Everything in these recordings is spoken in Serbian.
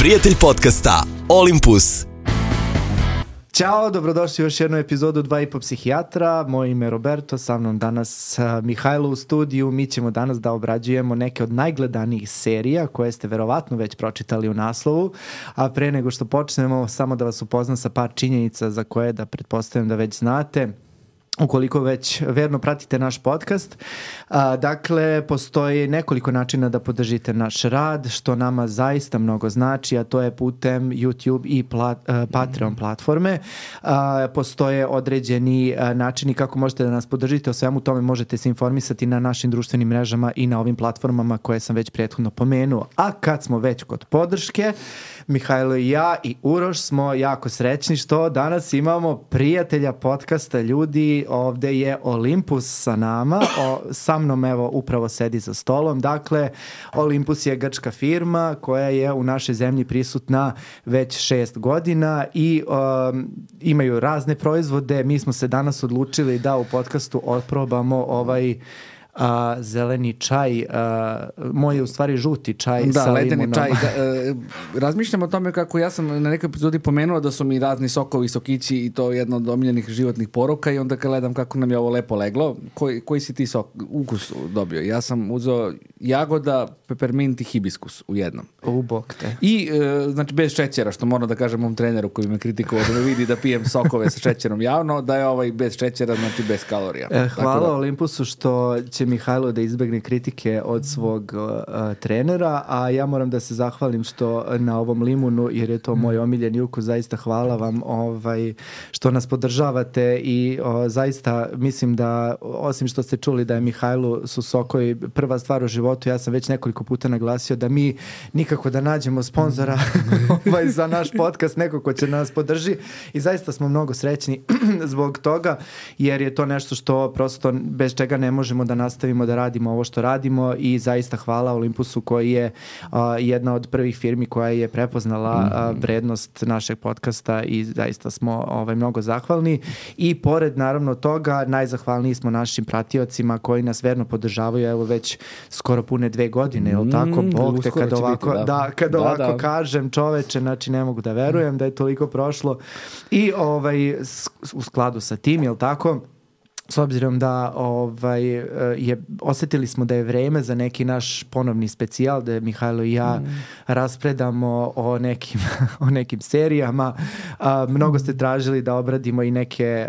prijatelj podcasta Olympus. Ćao, dobrodošli u još jednu epizodu 2,5 psihijatra. Moje ime je Roberto, sa mnom danas Mihajlo u studiju. Mi ćemo danas da obrađujemo neke od najgledanijih serija koje ste verovatno već pročitali u naslovu. A pre nego što počnemo, samo da vas upoznam sa par činjenica za koje da pretpostavljam da već znate. Ukoliko već verno pratite naš podcast. Dakle, postoji nekoliko načina da podržite naš rad, što nama zaista mnogo znači, a to je putem YouTube i Patreon platforme. Postoje određeni načini kako možete da nas podržite. O svemu tome možete se informisati na našim društvenim mrežama i na ovim platformama koje sam već prethodno pomenuo. A kad smo već kod podrške, Mihajlo i ja i Uroš smo jako srećni što danas imamo prijatelja podcasta. Ljudi, ovde je Olympus sa nama, sa mnom evo upravo sedi za stolom. Dakle, Olympus je grčka firma koja je u našoj zemlji prisutna već 6 godina i imaju razne proizvode. Mi smo se danas odlučili da u podcastu otprobamo ovaj zeleni čaj, moj je u stvari žuti čaj sa ledeni limunom. čaj. Razmišljam o tome kako ja sam na nekoj epizodi pomenuo da su mi razni sokovi, sokići i to jedno od omiljenih životnih poroka i onda kad gledam kako nam je ovo lepo leglo, koji si ti ukus dobio? Ja sam uzeo jagoda, pepermint i hibiskus u jednom. Bog te. I znači bez šećera, što moram da kažem mom treneru koji me kritikovao da me vidi da pijem sokove sa šećerom javno, da je ovaj bez šećera, znači bez kalorija. Hvala Olympusu što će Mihajlo da izbegne kritike od svog trenera, a ja moram da se zahvalim što na ovom limunu, jer je to moj omiljeni ukus, zaista hvala vam što nas podržavate i zaista mislim da, osim što ste čuli da je Mihajlu su sokovi prva stvar u životu, ja sam već nekoliko puta naglasio da mi nikako da nađemo sponzora za naš podcast, neko ko će nas podrži i zaista smo mnogo srećni zbog toga, jer je to nešto što prosto bez čega ne možemo da nastavimo da radimo ovo što radimo i zaista hvala Olympusu koji je jedna od prvih firmi koja je prepoznala vrednost našeg podcasta i zaista smo mnogo zahvalni i pored naravno toga najzahvalniji smo našim pratiocima koji nas verno podržavaju evo već skoro pune 2 godine, je li tako? Bog te kad ovako, ovako kažem čoveče, znači ne mogu da verujem da je toliko prošlo i u skladu sa tim, je li tako? S obzirom da osjetili smo da je vreme za neki naš ponovni specijal, da Mihajlo i ja raspredamo o nekim serijama. Mnogo ste tražili da obradimo i neke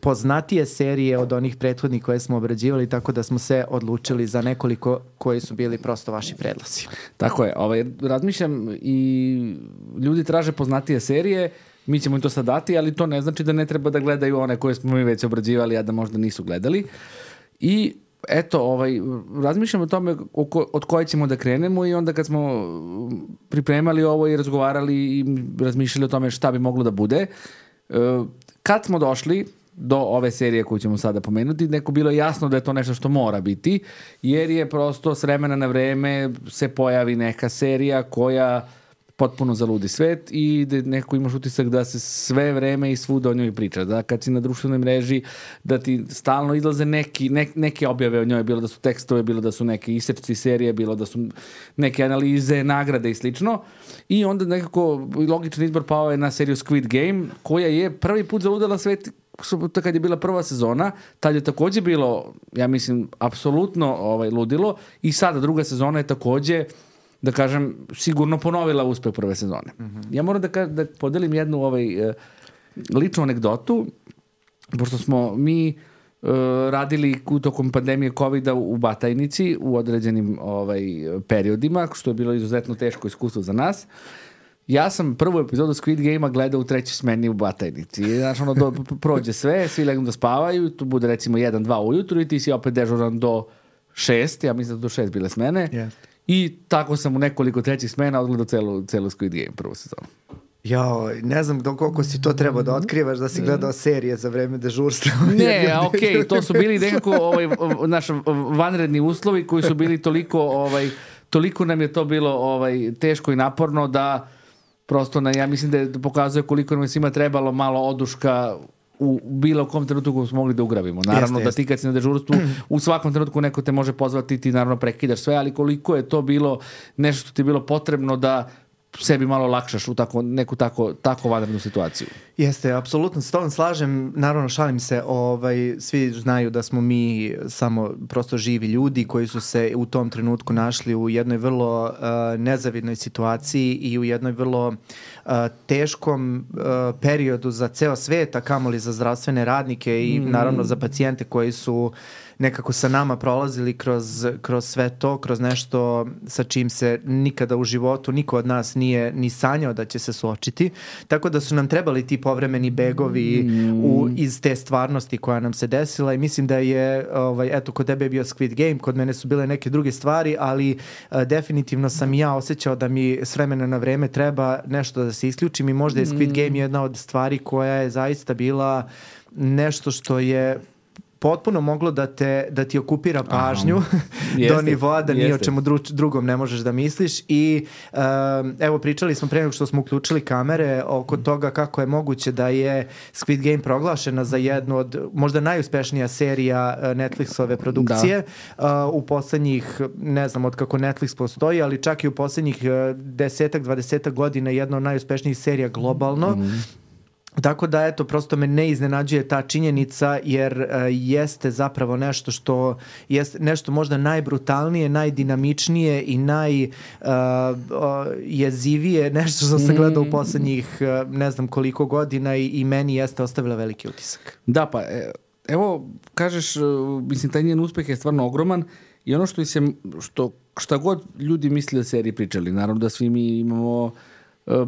poznatije serije od onih prethodnih koje smo obrađivali, tako da smo se odlučili za nekoliko koji su bili prosto vaši predlozi. Tako je. Razmišljam i ljudi traže poznatije serije. Mi ćemo im to sad dati, ali to ne znači da ne treba da gledaju one koje smo mi već obrađivali, a da možda nisu gledali. I eto, razmišljamo o tome od koje ćemo da krenemo i onda kad smo pripremali ovo i razgovarali i razmišljali o tome šta bi moglo da bude, kad smo došli do ove serije koju ćemo sada pomenuti, neko bilo jasno da je to nešto što mora biti, jer je prosto s vremena na vreme se pojavi neka serija koja potpuno zaludi svet i da neko imaš utisak da se sve vreme i svuda o njoj priča. Da kad si na društvenoj mreži, da ti stalno izlaze neke objave o njoj, bilo da su tekstove, bilo da su neke isečci serije, bilo da su neke analize, nagrade i slično. I onda nekako logičan izbor pao je na seriju Squid Game, koja je prvi put zaludala svet kad je bila prva sezona. Tad je takođe bilo, ja mislim, apsolutno ludilo i sada druga sezona je takođe, da kažem, sigurno ponovila uspeh prve sezone. Ja moram da podelim jednu ličnu anegdotu, pošto smo mi radili tokom pandemije COVID-a u Batajnici u određenim periodima, što je bilo izuzetno teško iskustvo za nas. Ja sam prvu epizodu Squid Game-a gledao u 3. smeni u Batajnici. Znači, prođe sve, svi legnu da spavaju, tu bude recimo 1-2 ujutru i ti si opet dežuran do 6, ja mislim da do 6 bile smene. Yeah. I tako sam u nekoliko 3. smena odgledao celu Squid Game prvu sezonu. Jao, ne znam koliko si to trebao da otkrivaš da si gledao serije za vreme dežurstva. Ne, okej, to su bili nekako naši vanredni uslovi koji su bili toliko nam je to bilo teško i naporno da prosto ja mislim da pokazuje koliko nam je svima trebalo malo oduška u bilo kom trenutku koju smo mogli da ugravimo. Naravno da ti kad si na dežurstvu u svakom trenutku neko te može pozvati, ti naravno prekidaš sve, ali koliko je to bilo nešto što ti je bilo potrebno da sebi malo lakšaš u neku tako vanrednu situaciju. Jeste, apsolutno s tom slažem, naravno šalim se, svi znaju da smo mi samo prosto živi ljudi koji su se u tom trenutku našli u jednoj vrlo nezavidnoj situaciji i u jednoj vrlo teškom periodu za ceo svet, a kamoli za zdravstvene radnike i naravno za pacijente koji su nekako sa nama prolazili kroz sve to, kroz nešto sa čim se nikada u životu niko od nas nije ni sanjao da će se suočiti. Tako da su nam trebali ti povremeni begovi iz te stvarnosti koja nam se desila i mislim da je, eto, kod tebe je bio Squid Game, kod mene su bile neke druge stvari, ali definitivno sam ja osjećao da mi s vremena na vreme treba nešto da se isključim i možda je Squid Game jedna od stvari koja je zaista bila nešto što je potpuno moglo da ti okupira pažnju do nivoa da ni o čemu drugom ne možeš da misliš i evo pričali smo pre nego što smo uključili kamere oko toga kako je moguće da je Squid Game proglašena za jednu od možda najuspešnija serija Netflixove produkcije u poslednjih, ne znam od kako Netflix postoji, ali čak i u poslednjih 10-20 godina jedna od najuspešnijih serija globalno. Tako da, eto, prosto me ne iznenađuje ta činjenica jer jeste zapravo nešto što jeste nešto možda najbrutalnije, najdinamičnije i najjezivije, nešto što sam gledao u poslednjih ne znam koliko godina i meni jeste ostavila veliki utisak. Da, pa evo, kažeš, mislim, taj njen uspeh je stvarno ogroman i ono šta god ljudi misle o seriji pričali, naravno da svi mi imamo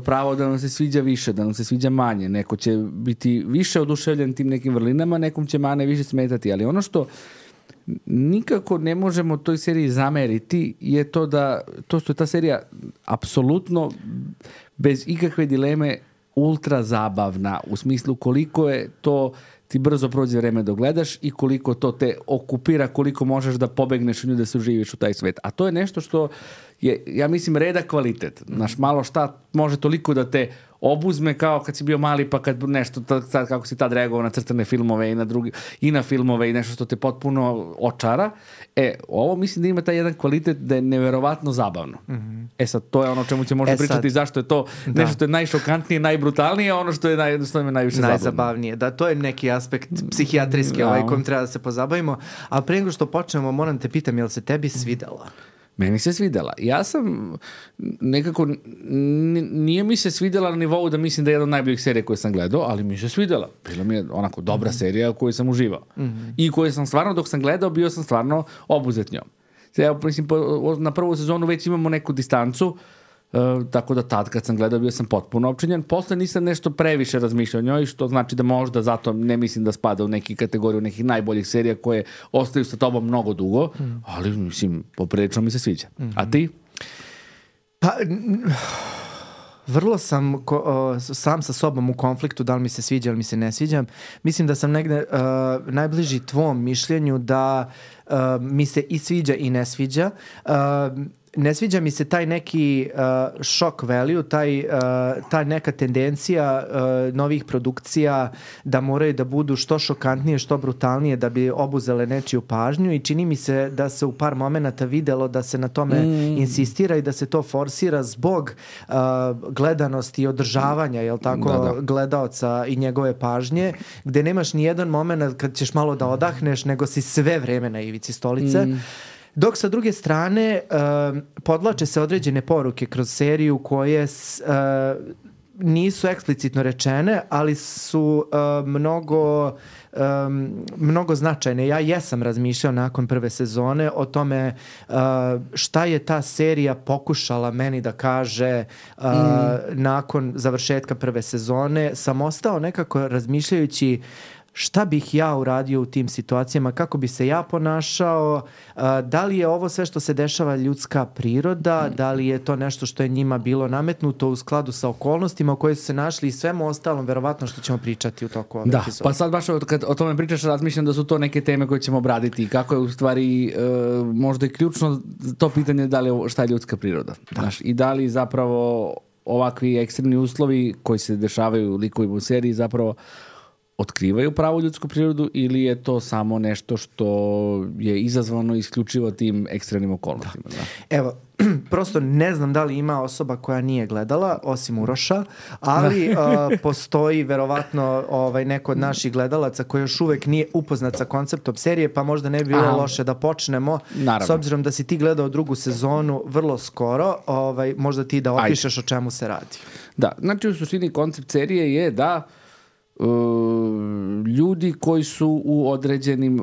pravo da nam se sviđa više, da nam se sviđa manje. Neko će biti više oduševljen tim nekim vrlinama, nekom će mane više smetati, ali ono što nikako ne možemo toj seriji zameriti je to što je ta serija apsolutno bez ikakve dileme ultra zabavna, u smislu koliko je to ti brzo prođe vreme dok gledaš i koliko to te okupira, koliko možeš da pobegneš u nju, da se uživiš u taj svet. A to je nešto što je, ja mislim, redak kvalitet. Znaš, malo šta može toliko da te obuzme kao kad si bio mali, pa kad nešto, sad kako si tad reagovao na crtane filmove i na filmove i nešto što te potpuno očara. Ovo mislim da ima taj jedan kvalitet da je neverovatno zabavno. Sad, to je ono o čemu će možda pričati zašto je to nešto što je najšokantnije, najbrutalnije, ono što je najviše najzabavnije. Da, to je neki aspekt psihijatrijski kojim treba da se pozabavimo. A pre nego što počnemo, moram te pitam, je li se tebi svidela? Meni se svidela. Ja sam nekako, nije mi se svidela na nivou da mislim da je jedna od najboljih serija koje sam gledao, ali mi se svidela. Bila mi je onako dobra serija u kojoj sam uživao. I koju sam stvarno, dok sam gledao, bio sam stvarno obuzet njom. Evo, mislim, na prvu sezonu već imamo neku distancu, tako da tad kad sam gledao bio sam potpuno opčinjen. Posle nisam nešto previše razmišljao o njoj, što znači da možda zato ne mislim da spada u neki kategoriju nekih najboljih serija koje ostaju sa tobom mnogo dugo, ali mislim, poprilično mi se sviđa. A ti? Pa, vrlo sam sam sa sobom u konfliktu, da li mi se sviđa ili mi se ne sviđa. Mislim da sam negde najbliži tvom mišljenju da mi se i sviđa i ne sviđa. Ne sviđa mi se taj neki shock value, ta neka tendencija novih produkcija da moraju da budu što šokantnije, što brutalnije da bi obuzele nečiju pažnju i čini mi se da se u par momenata videlo da se na tome insistira i da se to forsira zbog gledanosti i održavanja, jel tako, gledaoca i njegove pažnje, gde nemaš ni jedan moment kad ćeš malo da odahneš, nego si sve vreme na ivici stolice. Dok sa druge strane podlače se određene poruke kroz seriju koje nisu eksplicitno rečene, ali su mnogo značajne. Ja jesam razmišljao nakon prve sezone o tome šta je ta serija pokušala meni da kaže nakon završetka prve sezone. Sam ostao nekako razmišljajući šta bih ja uradio u tim situacijama, kako bi se ja ponašao, da li je ovo sve što se dešava ljudska priroda, da li je to nešto što je njima bilo nametnuto u skladu sa okolnostima u kojoj su se našli i svemu ostalom, verovatno što ćemo pričati u toku ove epizode. Pa sad baš kad o tome pričaš, razmišljam da su to neke teme koje ćemo obraditi i kako je u stvari možda i ključno to pitanje da li šta je ljudska priroda. Znaš, i da li zapravo ovakvi ekstremni uslovi koji se dešavaju u likovima u seriji zapravo otkrivaju pravu ljudsku prirodu ili je to samo nešto što je izazvano isključivo tim ekstremnim okolnostima? Da. Evo, prosto ne znam da li ima osoba koja nije gledala, osim Uroša, ali postoji verovatno neko od naših gledalaca koji još uvek nije upoznat sa konceptom serije, pa možda ne bi bilo loše da počnemo. Naravno. S obzirom da si ti gledao drugu sezonu vrlo skoro, možda ti da opišeš o čemu se radi. Da, znači u suštini koncept serije je da ljudi koji su u određenim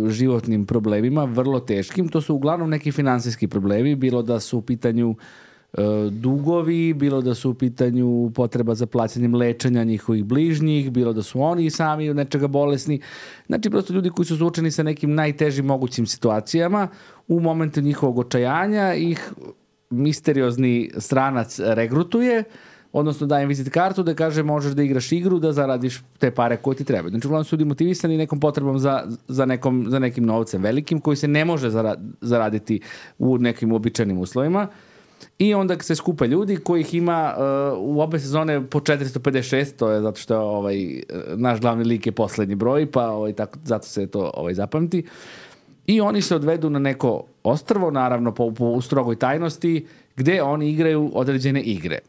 životnim problemima, vrlo teškim, to su uglavnom neki finansijski problemi, bilo da su u pitanju dugovi, bilo da su u pitanju potreba za plaćanjem lečenja njihovih bližnjih, bilo da su oni sami od nečega bolesni. Znači, prosto ljudi koji su suočeni sa nekim najtežim mogućim situacijama, u momentu njihovog očajanja ih misteriozni stranac regrutuje, odnosno daje vizit kartu da kaže možeš da igraš igru da zaradiš te pare koje ti trebaju. Znači, uglavnom su ljudi motivisani nekom potrebom za nekim novcem velikim koji se ne može zaraditi u nekim uobičajenim uslovima. I onda se skupe ljudi kojih ima u obe sezone po 456, to je zato što naš glavni lik je poslednji broj, pa zato se to zapamti. I oni se odvedu na neko ostrvo, naravno po strogoj tajnosti, gde oni igraju određene igre.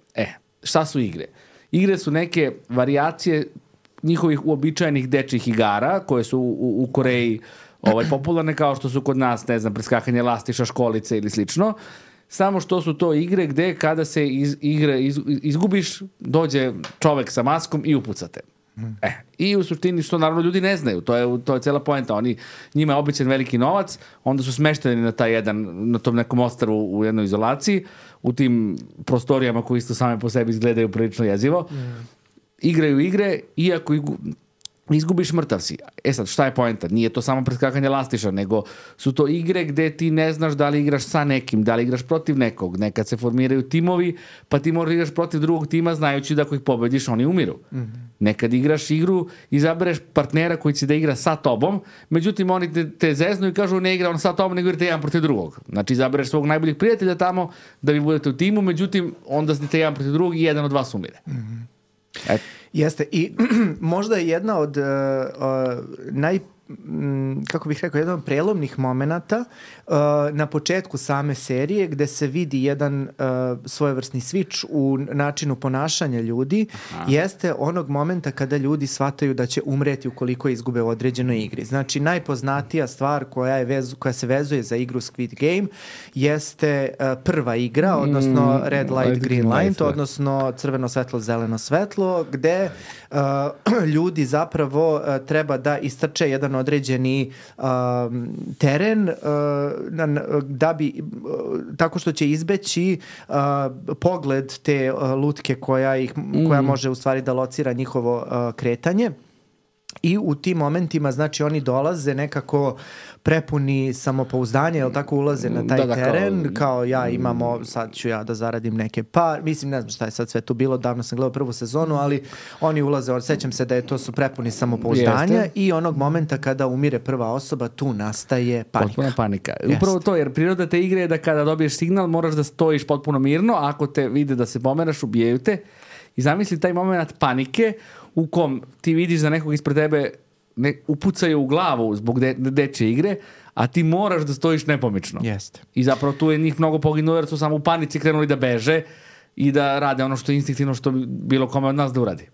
Šta su igre? Igre su neke varijacije njihovih uobičajenih dečjih igara koje su u Koreji popularne, kao što su kod nas, ne znam, preskakanje lastiša, školice ili slično. Samo što su to igre gde kada se izgubiš, dođe čovek sa maskom i upucate. I u suštini, što naravno ljudi ne znaju, to je cela poenta. Njima je običan veliki novac, onda su smešteni na tom nekom ostrvu u jednoj izolaciji, u tim prostorijama koji isto same po sebi izgledaju prilično jezivo. Igraju igre, iako izgubiš, mrtav si. Sad, šta je poenta? Nije to samo preskakanje lastiša, nego su to igre gde ti ne znaš da li igraš sa nekim, da li igraš protiv nekog. Nekad se formiraju timovi, pa ti moraš igraš protiv drugog tima znajući da ako ih pobediš, oni umiru. Nekad igraš igru, izabereš partnera koji će da igra sa tobom, međutim oni te zeznu i kažu ne igra on sa tobom, nego igrate jedan protiv drugog. Znači izabereš svog najboljih prijatelja tamo da vi budete u timu, međutim onda ste jedan protiv drugog i jedan od vas umire. Jeste, i možda je jedna od jedan od prelomnih momenata na početku same serije gde se vidi jedan svojevrsni switch u načinu ponašanja ljudi, jeste onog momenta kada ljudi shvataju da će umreti ukoliko izgube u određenoj igri. Znači, najpoznatija stvar koja se vezuje za igru Squid Game jeste prva igra, odnosno Red Light, Green Light, odnosno crveno svetlo, zeleno svetlo, gde ljudi zapravo treba da istrče jedan određeni teren da bi, tako što će izbeći pogled te lutke koja može u stvari da locira njihovo kretanje. I u tim momentima, znači, oni dolaze nekako prepuni samopouzdanja, jel tako, ulaze na taj teren, kao ja imamo, sad ću ja da zaradim neke mislim, ne znam šta je sad sve tu bilo, davno sam gledao prvu sezonu, ali oni ulaze, sećam se da su prepuni samopouzdanja i onog momenta kada umire prva osoba, tu nastaje panika. Potpuna panika. Upravo to, jer priroda te igre je da kada dobiješ signal moraš da stojiš potpuno mirno, a ako te vide da se pomeraš, ubijaju te. I zamisli taj moment panike u kom ti vidiš da nekog ispred tebe upucaju u glavu zbog dečje igre, a ti moraš da stojiš nepomično. Jeste. I zapravo tu je njih mnogo poginulo jer su samo u panici krenuli da beže i da rade ono što je instinktivno što bi bilo kome od nas da uradi.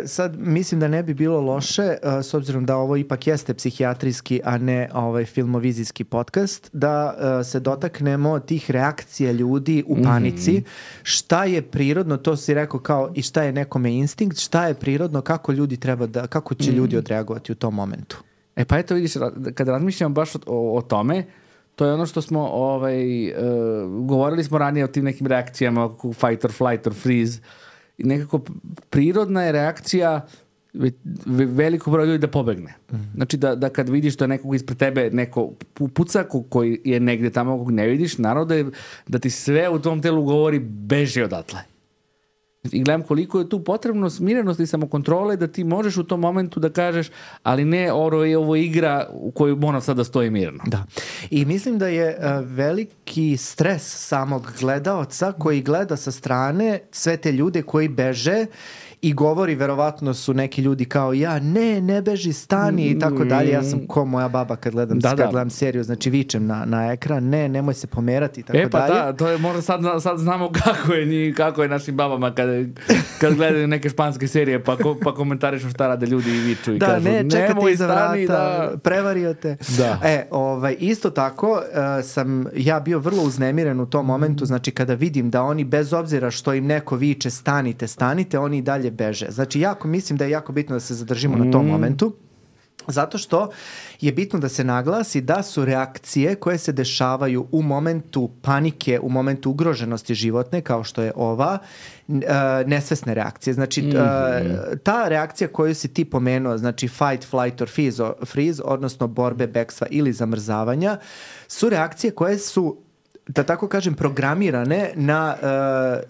Sad mislim da ne bi bilo loše, s obzirom da ovo ipak jeste psihijatrijski, a ne filmovizijski podcast, da se dotaknemo tih reakcija ljudi u panici. Šta je prirodno, to si rekao kao i šta je nekome instinkt, šta je prirodno, kako će ljudi odreagovati u tom momentu. Pa eto vidiš, kada razmišljamo baš o tome, to je ono što smo govorili smo ranije o tim nekim reakcijama, fight or flight or freeze. I nekako prirodna je reakcija veliko broj ljudi da pobegne. Znači da kad vidiš da nekog ispred tebe neko puca koji je negde tamo kog ne vidiš, naravno da ti sve u tom telu govori beži odatle. I gledam koliko je tu potrebno smirenosti i samokontrole da ti možeš u tom momentu da kažeš ali ne, ovo je igra u kojoj moram sad da stoji mirno. Da. I mislim da je veliki stres samog gledaoca koji gleda sa strane sve te ljude koji beže i govori, verovatno su neki ljudi kao ja, ne beži, stani i tako dalje. Ja sam ko moja baba kad gledam seriju, znači vičem na ekran, nemoj se pomerati i tako dalje. Da, to je možda sad znamo kako je našim babama kad gledaju neke španske serije pa komentarišu šta rade ljudi i viču i kažu čekate iza vrata, prevario te. Isto tako sam ja bio vrlo uznemiren u tom momentu, znači kada vidim da oni bez obzira što im neko viče stanite, oni i dalje beže. Znači mislim da je jako bitno da se zadržimo na tom momentu. Zato što je bitno da se naglasi da su reakcije koje se dešavaju u momentu panike, u momentu ugroženosti životne, kao što je ova, nesvesne reakcije. Znači, ta reakcija koju si ti pomenuo, znači fight, flight or freeze, odnosno borbe, bekstva ili zamrzavanja, su reakcije koje su, da tako kažem, programirane na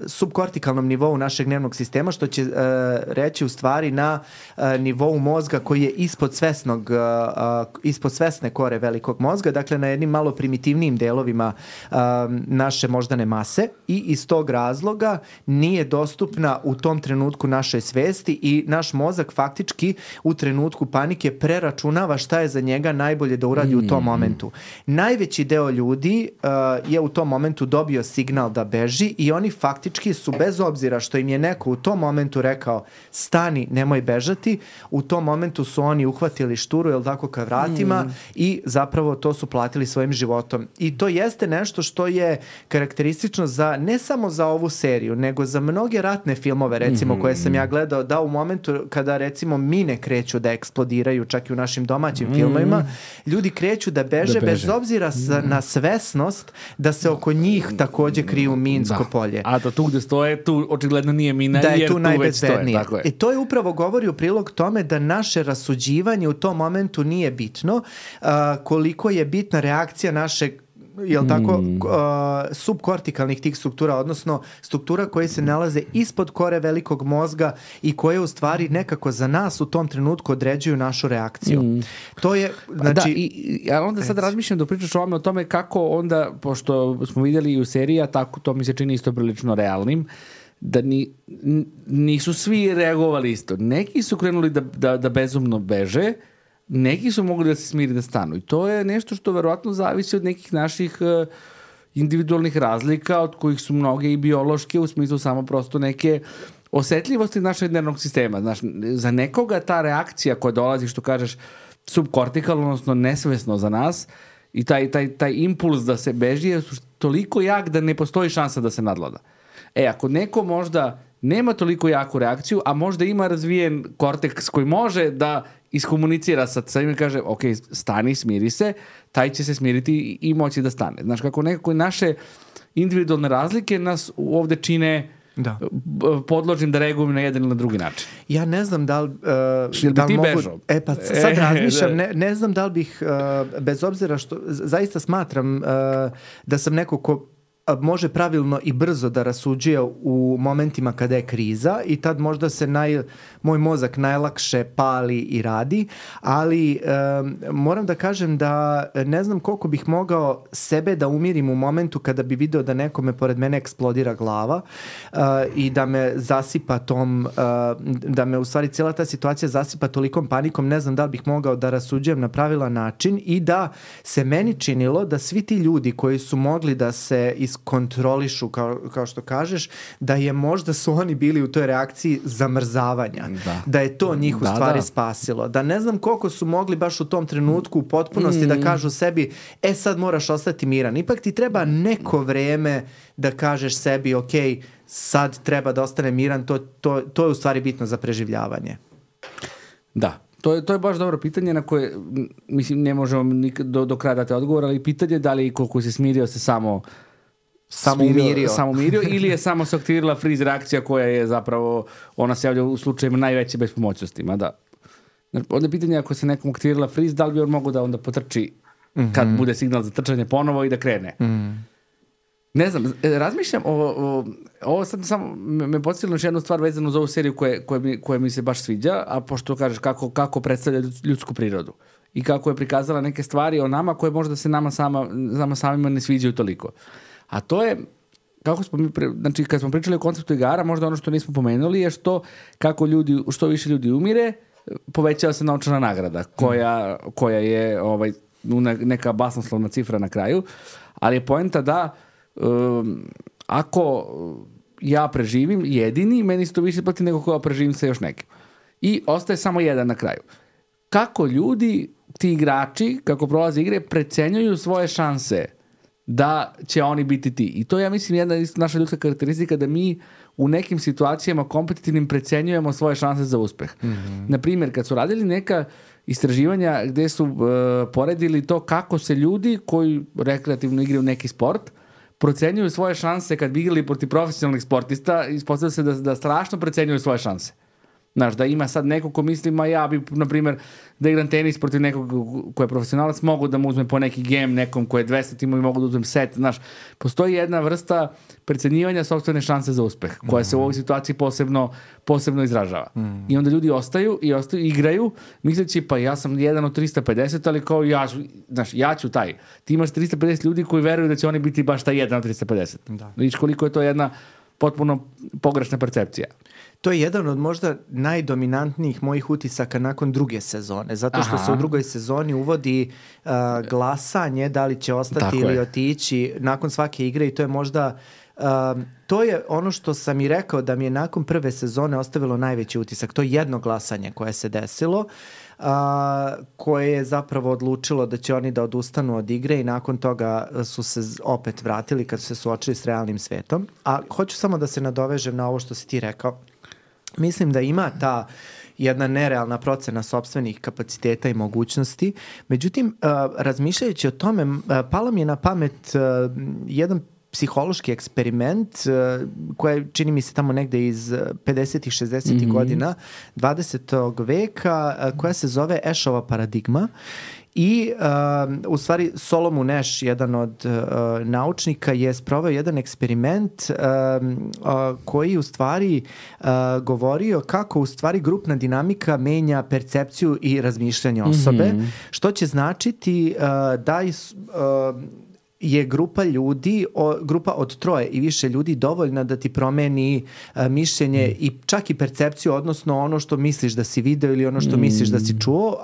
subkortikalnom nivou našeg nervnog sistema, što će reći u stvari na nivou mozga koji je ispod svesne kore velikog mozga, dakle na jednim malo primitivnijim delovima naše moždane mase, i iz tog razloga nije dostupna u tom trenutku našoj svesti i naš mozak faktički u trenutku panike preračunava šta je za njega najbolje da uradi u tom momentu. Najveći deo ljudi je u tom momentu dobio signal da beži i oni faktički su, bez obzira što im je neko u tom momentu rekao stani, nemoj bežati, u tom momentu su oni uhvatili šturu, jel tako, ka vratima i zapravo to su platili svojim životom. I to jeste nešto što je karakteristično za, ne samo za ovu seriju, nego za mnoge ratne filmove, recimo, koje sam ja gledao, da u momentu kada, recimo, mine kreću da eksplodiraju, čak i u našim domaćim filmovima, ljudi kreću da beže bez obzira na svesnost da se oko njih također kriju minsko polje. A to tu gde stoje, tu očigledno nije mina, da je jer tu najbezbednije. I to je upravo govori u prilog tome da naše rasuđivanje u tom momentu nije bitno, koliko je bitna reakcija našeg, jel tako, subkortikalnih tih struktura, odnosno struktura koje se nalaze ispod kore velikog mozga i koje u stvari nekako za nas u tom trenutku određuju našu reakciju. To je, znači... Da, onda sad razmišljam da pričaš o tome kako onda, pošto smo vidjeli i u seriji, tako to mi se čini isto prilično realnim, da nisu svi reagovali isto. Neki su krenuli da bezumno beže, neki su mogli da se smiri da stanu. I to je nešto što verovatno zavisi od nekih naših individualnih razlika, od kojih su mnoge i biološke, u smislu samo prosto neke osetljivosti našeg nervnog sistema. Znaš, za nekoga ta reakcija koja dolazi, što kažeš, subkortikalno, odnosno nesvesno za nas, i taj impuls da se beži je toliko jak da ne postoji šansa da se nadvlada. Ako neko možda nema toliko jaku reakciju, a možda ima razvijen korteks koji može da iskomunicira sa njim i kaže, ok, stani, smiri se, taj će se smiriti i moći da stane. Znaš, kako nekako naše individualne razlike nas ovde čine podložnim da reagujemo na jedan ili na drugi način. Ja ne znam da li... da li mogu... bežao? Pa sad razmišljam, ne znam da li bih, bez obzira što, zaista smatram da sam neko ko može pravilno i brzo da rasuđuje u momentima kada je kriza i tad možda se moj mozak najlakše pali i radi, ali moram da kažem da ne znam koliko bih mogao sebe da umirim u momentu kada bi video da nekome pored mene eksplodira glava i da me zasipa da me u stvari cijela ta situacija zasipa tolikom panikom, ne znam da li bih mogao da rasuđujem na pravilan način i da se meni činilo da svi ti ljudi koji su mogli da se iskontrolišu, kao što kažeš, da je možda su oni bili u toj reakciji zamrzavanja. Da je to njih u stvari spasilo. Da ne znam koliko su mogli baš u tom trenutku u potpunosti da kažu sebi, sad moraš ostati miran. Ipak ti treba neko vreme da kažeš sebi, ok, sad treba da ostane miran, to je u stvari bitno za preživljavanje. Da. To je baš dobro pitanje na koje, mislim, ne možemo do kraja dati odgovor, ali pitanje da li koliko se smirio se samo umirio ili je samo se aktivirala freeze reakcija koja je zapravo, ona se javlja u slučajima najveće bespomoćnosti. Onda je pitanje ako se nekom aktivirala freeze, da li bi on mogao da onda potrči kad bude signal za trčanje ponovo i da krene. Ne znam, razmišljam ovo sad samo me podsjetilo još jednu stvar vezanu za ovu seriju koja mi se baš sviđa, a pošto kažeš kako predstavlja ljudsku prirodu i kako je prikazala neke stvari o nama koje možda se nama samima ne sviđaju toliko. A to je kako smo znači kad smo pričali o konceptu igara, možda ono što nismo pomenuli je što više ljudi umire, povećava se novčana nagrada koja je neka basnoslovna cifra na kraju, ali je poenta da ako ja preživim jedini, meni se to više plati nego koja preživim sa još nekim. I ostaje samo jedan na kraju. Kako ljudi, ti igrači, kako prolaze igre, precenjuju svoje šanse da će oni biti ti. I to ja mislim jedna naša ljudska karakteristika, da mi u nekim situacijama kompetitivnim precenjujemo svoje šanse za uspeh. Naprimjer, kad su radili neka istraživanja gde su poredili to kako se ljudi koji rekreativno igraju neki sport procenjuju svoje šanse kad bi igrali protiv profesionalnih sportista, ispostavlja se da strašno precenjuju svoje šanse. Znaš, da ima sad neko ko misli, ja bi, na primjer, da igram tenis protiv nekog ko je profesionalac, mogu da mu uzmem po neki game, nekom ko je 200 timova i mogu da uzmem set. Znaš, postoji jedna vrsta precenjivanja sopstvene šanse za uspeh, koja se u ovoj situaciji posebno izražava. I onda ljudi ostaju, igraju, misleći, pa ja sam jedan od 350, ali kao ja ću taj. Ti imaš 350 ljudi koji veruju da će oni biti baš taj jedan od 350. Da. Vidiš koliko je to jedna potpuno pogrešna percepcija. To je jedan od možda najdominantnijih mojih utisaka nakon druge sezone, zato što se u drugoj sezoni uvodi glasanje da li će ostati ili otići nakon svake igre i to je možda to je ono što sam i rekao da mi je nakon prve sezone ostavilo najveći utisak. To je jedno glasanje koje se desilo, koje je zapravo odlučilo da će oni da odustanu od igre i nakon toga su se opet vratili kad su se suočili s realnim svetom. A hoću samo da se nadovežem na ovo što si ti rekao. Mislim da ima ta jedna nerealna procena sopstvenih kapaciteta i mogućnosti. Međutim, razmišljajući o tome, palo mi je na pamet jedan psihološki eksperiment koji čini mi se tamo negde iz 50-ih, 60-ih godina 20. veka koja se zove Ashova paradigma i u stvari Solomon Ash, jedan od naučnika, je sproveo jedan eksperiment koji u stvari govorio kako u stvari grupna dinamika menja percepciju i razmišljanje osobe, što će značiti da je grupa ljudi, grupa od 3 i više ljudi dovoljna da ti promeni mišljenje i čak i percepciju, odnosno ono što misliš da si video ili ono što misliš da si čuo,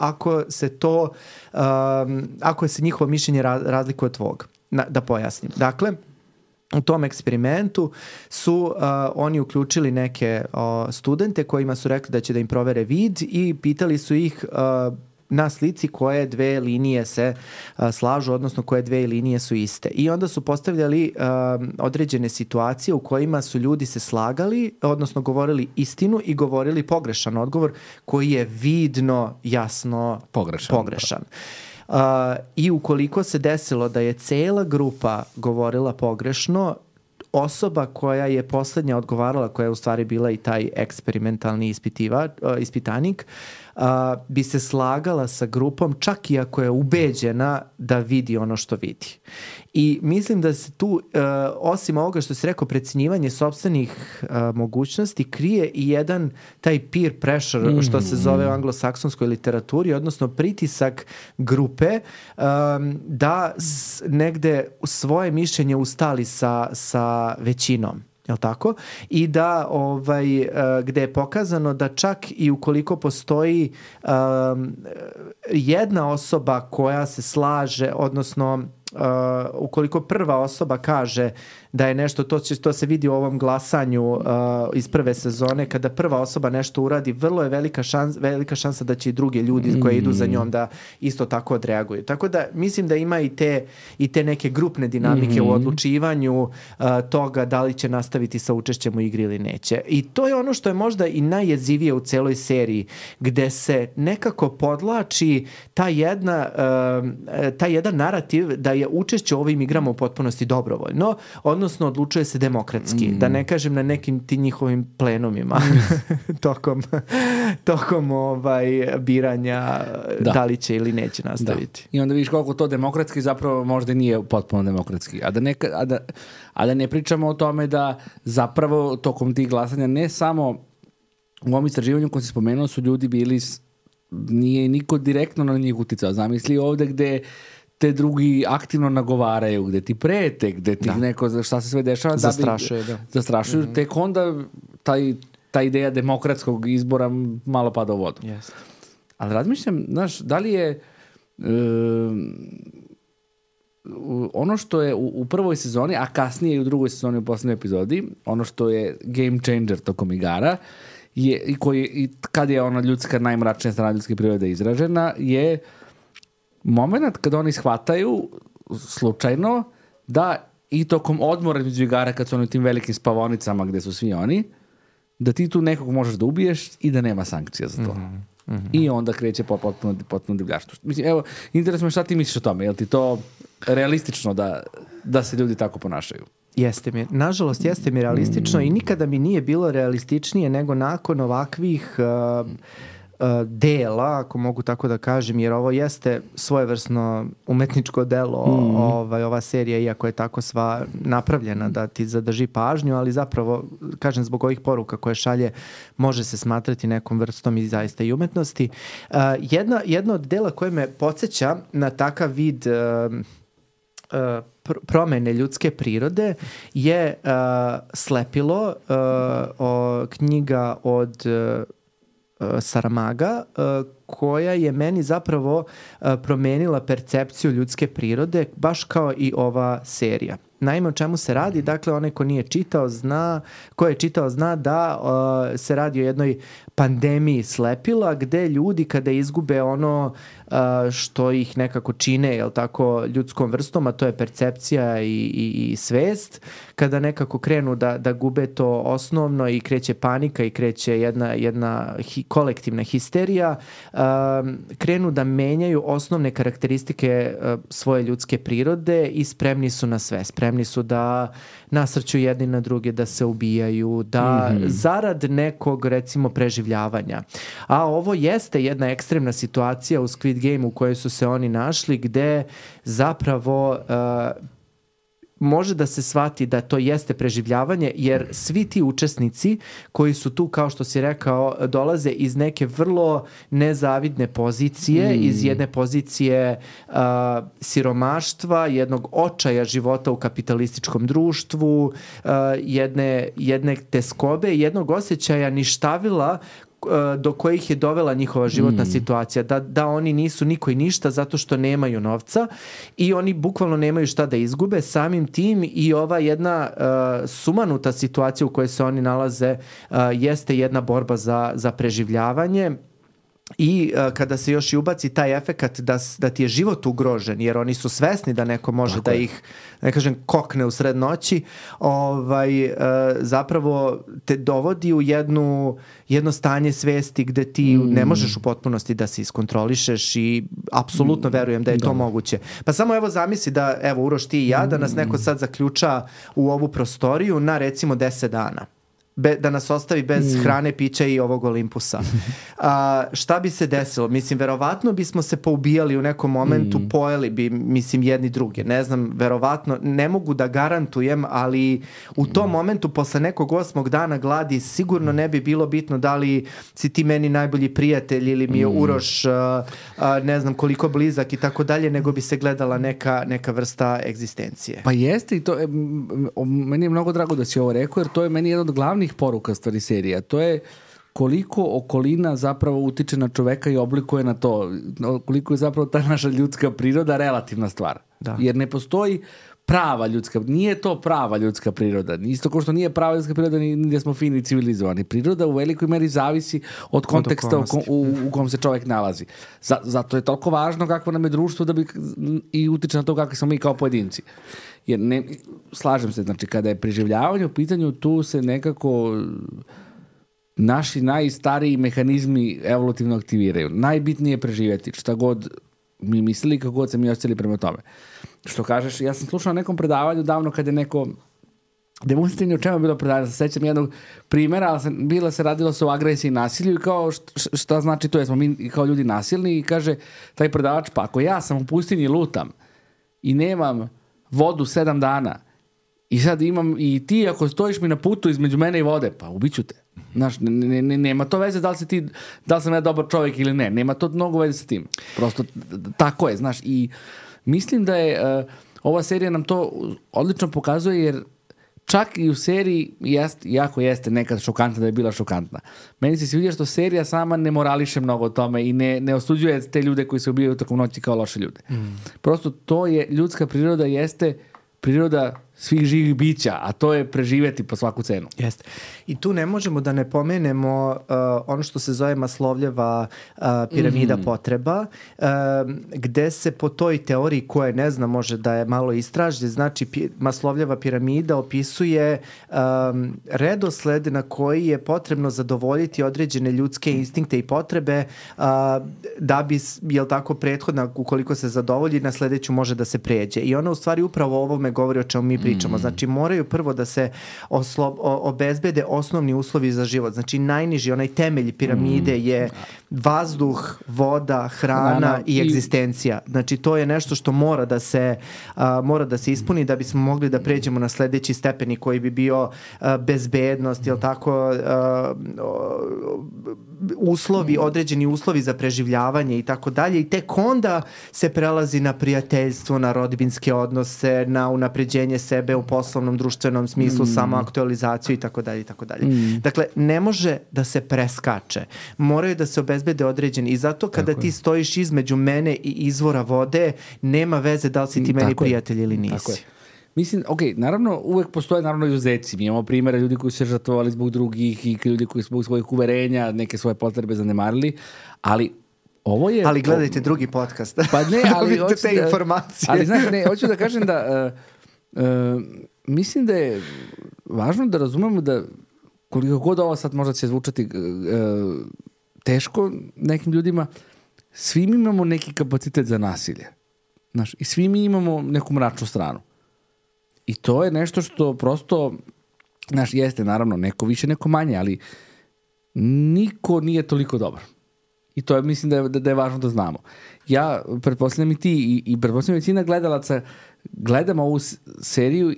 ako se njihovo mišljenje razlikuje od tvog. Da pojasnim. Dakle, u tom eksperimentu su oni uključili neke studente kojima su rekli da će da im provere vid i pitali su ih na slici koje 2 linije se slažu, odnosno koje 2 linije su iste. I onda su postavljali određene situacije u kojima su ljudi se slagali, odnosno govorili istinu i govorili pogrešan odgovor koji je vidno, jasno pogrešan. I ukoliko se desilo da je cela grupa govorila pogrešno, osoba koja je poslednja odgovarala, koja je u stvari bila i taj eksperimentalni ispitanik, bi se slagala sa grupom čak i ako je ubeđena da vidi ono što vidi. I mislim da se tu, osim ovoga što si rekao, precenjivanje sopstvenih mogućnosti, krije i jedan taj peer pressure, što se zove u anglosaksonskoj literaturi, odnosno pritisak grupe da negde svoje mišljenje ustali sa većinom. Jel' tako? I da gde je pokazano da čak i ukoliko postoji jedna osoba koja se slaže, odnosno ukoliko prva osoba kaže da je nešto, to se vidi u ovom glasanju iz prve sezone, kada prva osoba nešto uradi, vrlo je velika šansa da će i drugi ljudi koji idu za njom da isto tako odreaguju. Tako da mislim da ima i te neke grupne dinamike u odlučivanju toga da li će nastaviti sa učešćem u igri ili neće. I to je ono što je možda i najjezivije u celoj seriji, gde se nekako podlači taj jedan narativ da je učešće u ovim igrama u potpunosti dobrovoljno, odnosno odlučuje se demokratski, da ne kažem na nekim ti njihovim plenumima tokom biranja da li će ili neće nastaviti. I onda vidiš koliko to demokratski zapravo možda nije potpuno demokratski. A da ne pričamo o tome da zapravo tokom tih glasanja ne samo u ovom istraživanju koji se spomenuo su ljudi bili, nije niko direktno na njih uticao. Zamisli ovde gde te drugi aktivno nagovaraju, gde ti prete, gde ti neko, šta se sve dešava. Zastrašuju, tek onda ta ideja demokratskog izbora malo pada u vodu. Yes. Ali razmišljam, znaš, da li je ono što je u prvoj sezoni, a kasnije i u drugoj sezoni u poslednjoj epizodi, ono što je game changer tokom igara, i kad je ona ljudska, najmračnija strana ljudske prirode izražena, je moment kada oni shvataju slučajno da i tokom odmora između igara, kad su oni u tim velikim spavonicama gde su svi oni, da ti tu nekog možeš da ubiješ i da nema sankcija za to. I onda kreće potpuno divljaštvo. Mislim, evo, interesno me šta ti misliš o tome. Je li ti to realistično da se ljudi tako ponašaju? Jeste mi. Nažalost, jeste mi realistično i nikada mi nije bilo realističnije nego nakon ovakvih dela, ako mogu tako da kažem, jer ovo jeste svojevrsno umetničko delo, ova serija, iako je tako sva napravljena da ti zadrži pažnju, ali zapravo, kažem, zbog ovih poruka koje šalje, može se smatrati nekom vrstom i zaista i umetnosti. Jedno od dela koje me podsjeća na takav vid promene ljudske prirode je Slepilo, knjiga od Saramaga, koja je meni zapravo promenila percepciju ljudske prirode, baš kao i ova serija. Naime, o čemu se radi? Dakle, onaj ko je čitao zna da se radi o jednoj pandemiji slepila, gde ljudi kada izgube ono što ih nekako čine, jel tako, ljudskom vrstom, a to je percepcija i svest, kada nekako krenu da gube to osnovno i kreće panika i kreće jedna kolektivna histerija, krenu da menjaju osnovne karakteristike svoje ljudske prirode i spremni su na sve. Spremni su da nasrću jedni na druge, da se ubijaju, da zarad nekog, recimo, preživljavanja. A ovo jeste jedna ekstremna situacija u Squid Game u kojoj su se oni našli, gde zapravo može da se shvati da to jeste preživljavanje, jer svi ti učesnici koji su tu, kao što si rekao, dolaze iz neke vrlo nezavidne pozicije, iz jedne pozicije siromaštva, jednog očaja života u kapitalističkom društvu, jedne teskobe, jednog osjećaja ništavila do kojih je dovela njihova životna situacija, da oni nisu niko i ništa zato što nemaju novca i oni bukvalno nemaju šta da izgube. Samim tim i ova jedna sumanuta situacija u kojoj se oni nalaze jeste jedna borba za preživljavanje. I kada se još i ubaci taj efekat da ti je život ugrožen, jer oni su svesni da neko može da ih, ne kažem, kokne u sred noći, zapravo te dovodi u jedno stanje svesti gde ti ne možeš u potpunosti da se iskontrolišeš i apsolutno verujem da je to moguće. Pa samo evo zamisli da, evo Uroš, ti i ja, da nas neko sad zaključa u ovu prostoriju na recimo 10 dana. Da nas ostavi bez hrane, pića i ovog Olimpusa. Šta bi se desilo? Mislim, verovatno bismo se poubijali u nekom momentu, pojeli bi, mislim, jedni druge. Ne znam, verovatno, ne mogu da garantujem, ali u tom momentu, posle nekog 8. dana gladi, sigurno ne bi bilo bitno da li si ti meni najbolji prijatelj ili mi je Uroš, ne znam koliko blizak i tako dalje, nego bi se gledala neka vrsta egzistencije. Pa jeste, i to meni je mnogo drago da si ovo rekao, jer to je meni jedan od glavnih poruka stvari serija. To je koliko okolina zapravo utiče na čoveka i oblikuje na to. Koliko je zapravo ta naša ljudska priroda relativna stvar. Da. Jer ne postoji prava ljudska, nije to prava ljudska priroda. Isto kao što nije prava ljudska priroda ni gdje smo fini i civilizovani. Priroda u velikoj meri zavisi od konteksta u kom se čovjek nalazi. Zato je toliko važno kakvo nam je društvo da bi i utiče na to kakvi smo mi kao pojedinci. Jer slažem se, znači kada je preživljavanje u pitanju, tu se nekako naši najstariji mehanizmi evolutivno aktiviraju. Najbitnije je preživjeti, šta god mi mislili, kako god se mi osjećali prema tome. Što kažeš, ja sam slušao na nekom predavanju davno kad je neko demonstrativno o čemu je bilo predavanje, se sećam jednog primjera, ali radilo se o agresiji i nasilju i kao šta znači to, jesmo mi kao ljudi nasilni, i kaže taj predavač, pa ako ja sam u pustinji lutam i nemam vodu 7 dana i sad imam i ti ako stojiš mi na putu između mene i vode, pa ubiću te. Znaš, nema to veze da li sam ja dobar čovjek ili ne. Nema to mnogo veze sa tim. Prosto tako je, znaš. I Mislim da je ova serija nam to odlično pokazuje, jer čak i u seriji jako jeste nekad šokantna da je bila šokantna. Meni se sviđa što serija sama ne morališe mnogo o tome i ne osuđuje te ljude koji se ubijaju tokom noći kao loše ljude. Prosto to je, ljudska priroda jeste priroda svih živih bića, a to je preživjeti po svaku cenu. Jeste. I tu ne možemo da ne pomenemo ono što se zove Maslovljeva piramida potreba, gde se po toj teoriji koje ne znam, može da je malo istražnje, znači Maslovljeva piramida opisuje redosled na koji je potrebno zadovoljiti određene ljudske instinkte i potrebe da bi, jel tako, prethodna, ukoliko se zadovolji, na sledeću može da se pređe. I ona u stvari upravo o ovome govori o čemu mi pričamo. Znači moraju prvo da se obezbede osnovni uslovi za život. Znači najniži, onaj temelj piramide je vazduh, voda, hrana i egzistencija. Znači to je nešto što mora da se ispuni da bismo mogli da pređemo na sledeći stepeni koji bi bio bezbednost, jel tako, uslovi, određeni uslovi za preživljavanje i tako dalje, i tek onda se prelazi na prijateljstvo, na rodbinske odnose, na unapređenje sebe u poslovnom, društvenom smislu, samoaktualizaciju i tako dalje i tako dalje. Dakle, ne može da se preskače. Moraju da se obezbede određeni, i zato kada ti stojiš između mene i izvora vode, nema veze da li si ti meni prijatelj ili nisi. Mislim, naravno, uvek postoje naravno izuzeci. Mi imamo primjere ljudi koji su se žrtvovali zbog drugih i ljudi koji su zbog svojih uverenja neke svoje potrebe zanemarili, ali ovo je... Ali gledajte drugi podcast. Pa ne, ali hoću te informacije. Ali znaš, hoću da kažem da mislim da je važno da razumemo da koliko god ovo sad možda će zvučati teško nekim ljudima, svi mi imamo neki kapacitet za nasilje. Znaš, i svi mi imamo neku mračnu stranu. I to je nešto što prosto, znaš, jeste naravno neko više, neko manje, ali niko nije toliko dobar. I to je, mislim da je važno da znamo. Ja, pretpostavljam i ti i pretpostavljam većina gledalaca, gledam ovu seriju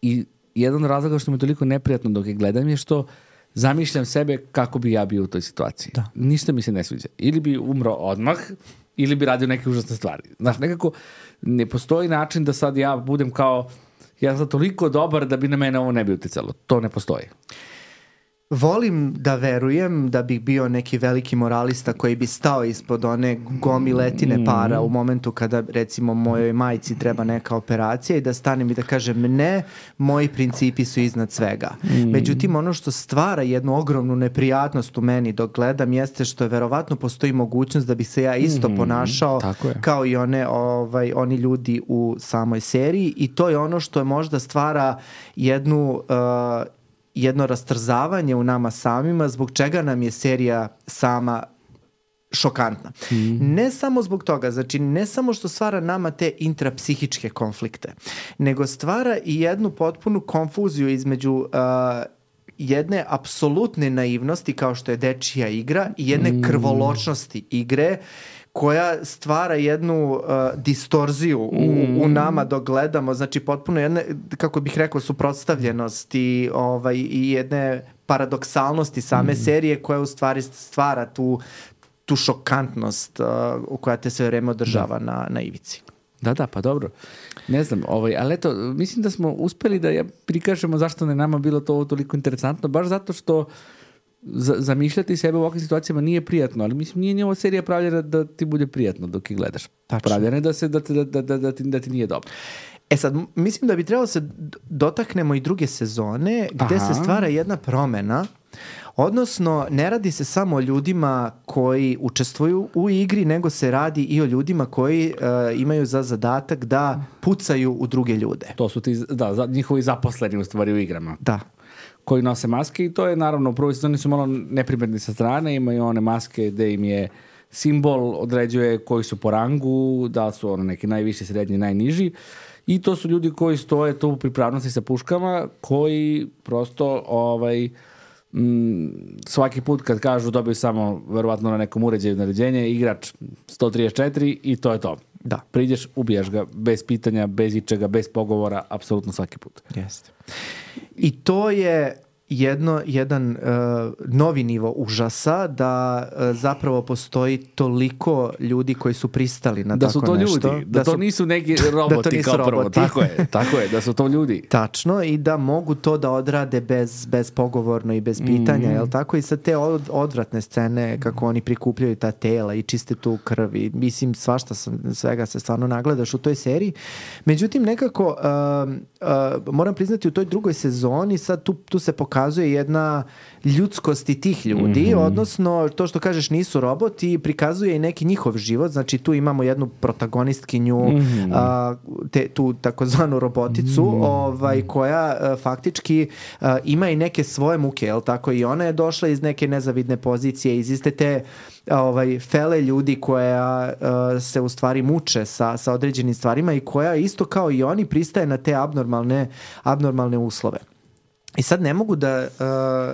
i jedan razlog što mi je toliko neprijatno dok je gledam je što zamišljam sebe kako bi ja bio u toj situaciji. Da. Ništa mi se ne sviđa. Ili bi umro odmah, ili bi radio neke užasne stvari. Znaš, nekako ne postoji način da sad ja budem kao, ja sam toliko dobar da bi na mene ovo ne bi uticalo. To ne postoji. Volim da verujem da bih bio neki veliki moralista koji bi stao ispod one gomiletine para u momentu kada, recimo, mojoj majci treba neka operacija i da stanem i da kažem ne, moji principi su iznad svega. Međutim, ono što stvara jednu ogromnu neprijatnost u meni dok gledam jeste što je verovatno postoji mogućnost da bi se ja isto ponašao kao i oni ljudi u samoj seriji, i to je ono što je možda stvara jedno rastrzavanje u nama samima, zbog čega nam je serija sama šokantna. Ne samo zbog toga, znači ne samo što stvara nama te intrapsihičke konflikte, nego stvara i jednu potpunu konfuziju između jedne apsolutne naivnosti kao što je dečija igra i jedne krvoločnosti igre koja stvara jednu distorziju u nama dok gledamo, znači potpuno jedne, kako bih rekao, suprotstavljenost i jedne paradoksalnosti same serije koja u stvari stvara tu šokantnost koja te sve vreme održava na ivici. Da, pa dobro. Ne znam, ali eto, mislim da smo uspeli da prikažemo zašto ne nama bilo to toliko interesantno, baš zato što zamišljati sebe u ovakvim situacijama nije prijatno, ali mislim nije ova serija pravljena da ti bude prijatno dok ih gledaš. Pravljena je da ti nije dobro. Sad, mislim da bi trebalo se dotaknemo i druge sezone gde se stvara jedna promena, odnosno ne radi se samo o ljudima koji učestvuju u igri, nego se radi i o ljudima koji imaju za zadatak da pucaju u druge ljude. To su ti, njihovi zaposleni u stvari u igrama. Da. Koji nose maske, i to je naravno u prvoj sezoni su malo neprimetni sa strane, imaju one maske gde im je simbol određuje koji su po rangu, da li su neki najviši, srednji, najniži, i to su ljudi koji stoje tu u pripravnosti sa puškama, koji prosto svaki put kad kažu dobiju samo verovatno na nekom uređaju naređenje, igrač 134 i to je to. Da. Priđeš, ubijaš ga bez pitanja, bez ičega, bez pogovora, apsolutno svaki put. Jeste. I to je jedan novi nivo užasa, da zapravo postoji toliko ljudi koji su pristali na da tako su to nešto. Ljudi, da to nisu neki roboti nisu kao prvo. roboti. Tako je, da su to ljudi. Tačno, i da mogu to da odrade bez pogovorno i bez pitanja, jel tako? I sad te odvratne scene kako oni prikupljaju ta tela i čiste tu krv i mislim svega se stvarno nagledaš u toj seriji. Međutim, nekako moram priznati u toj drugoj sezoni sad tu se pokazuje jedna ljudskost i tih ljudi, odnosno to što kažeš nisu roboti, prikazuje i neki njihov život, znači tu imamo jednu protagonistkinju, tu takozvanu roboticu, koja faktički ima i neke svoje muke, jel tako, i ona je došla iz neke nezavidne pozicije, iz iste te fele ljudi koja se u stvari muče sa određenim stvarima i koja isto kao i oni pristaje na te abnormalne uslove. I sad ne mogu da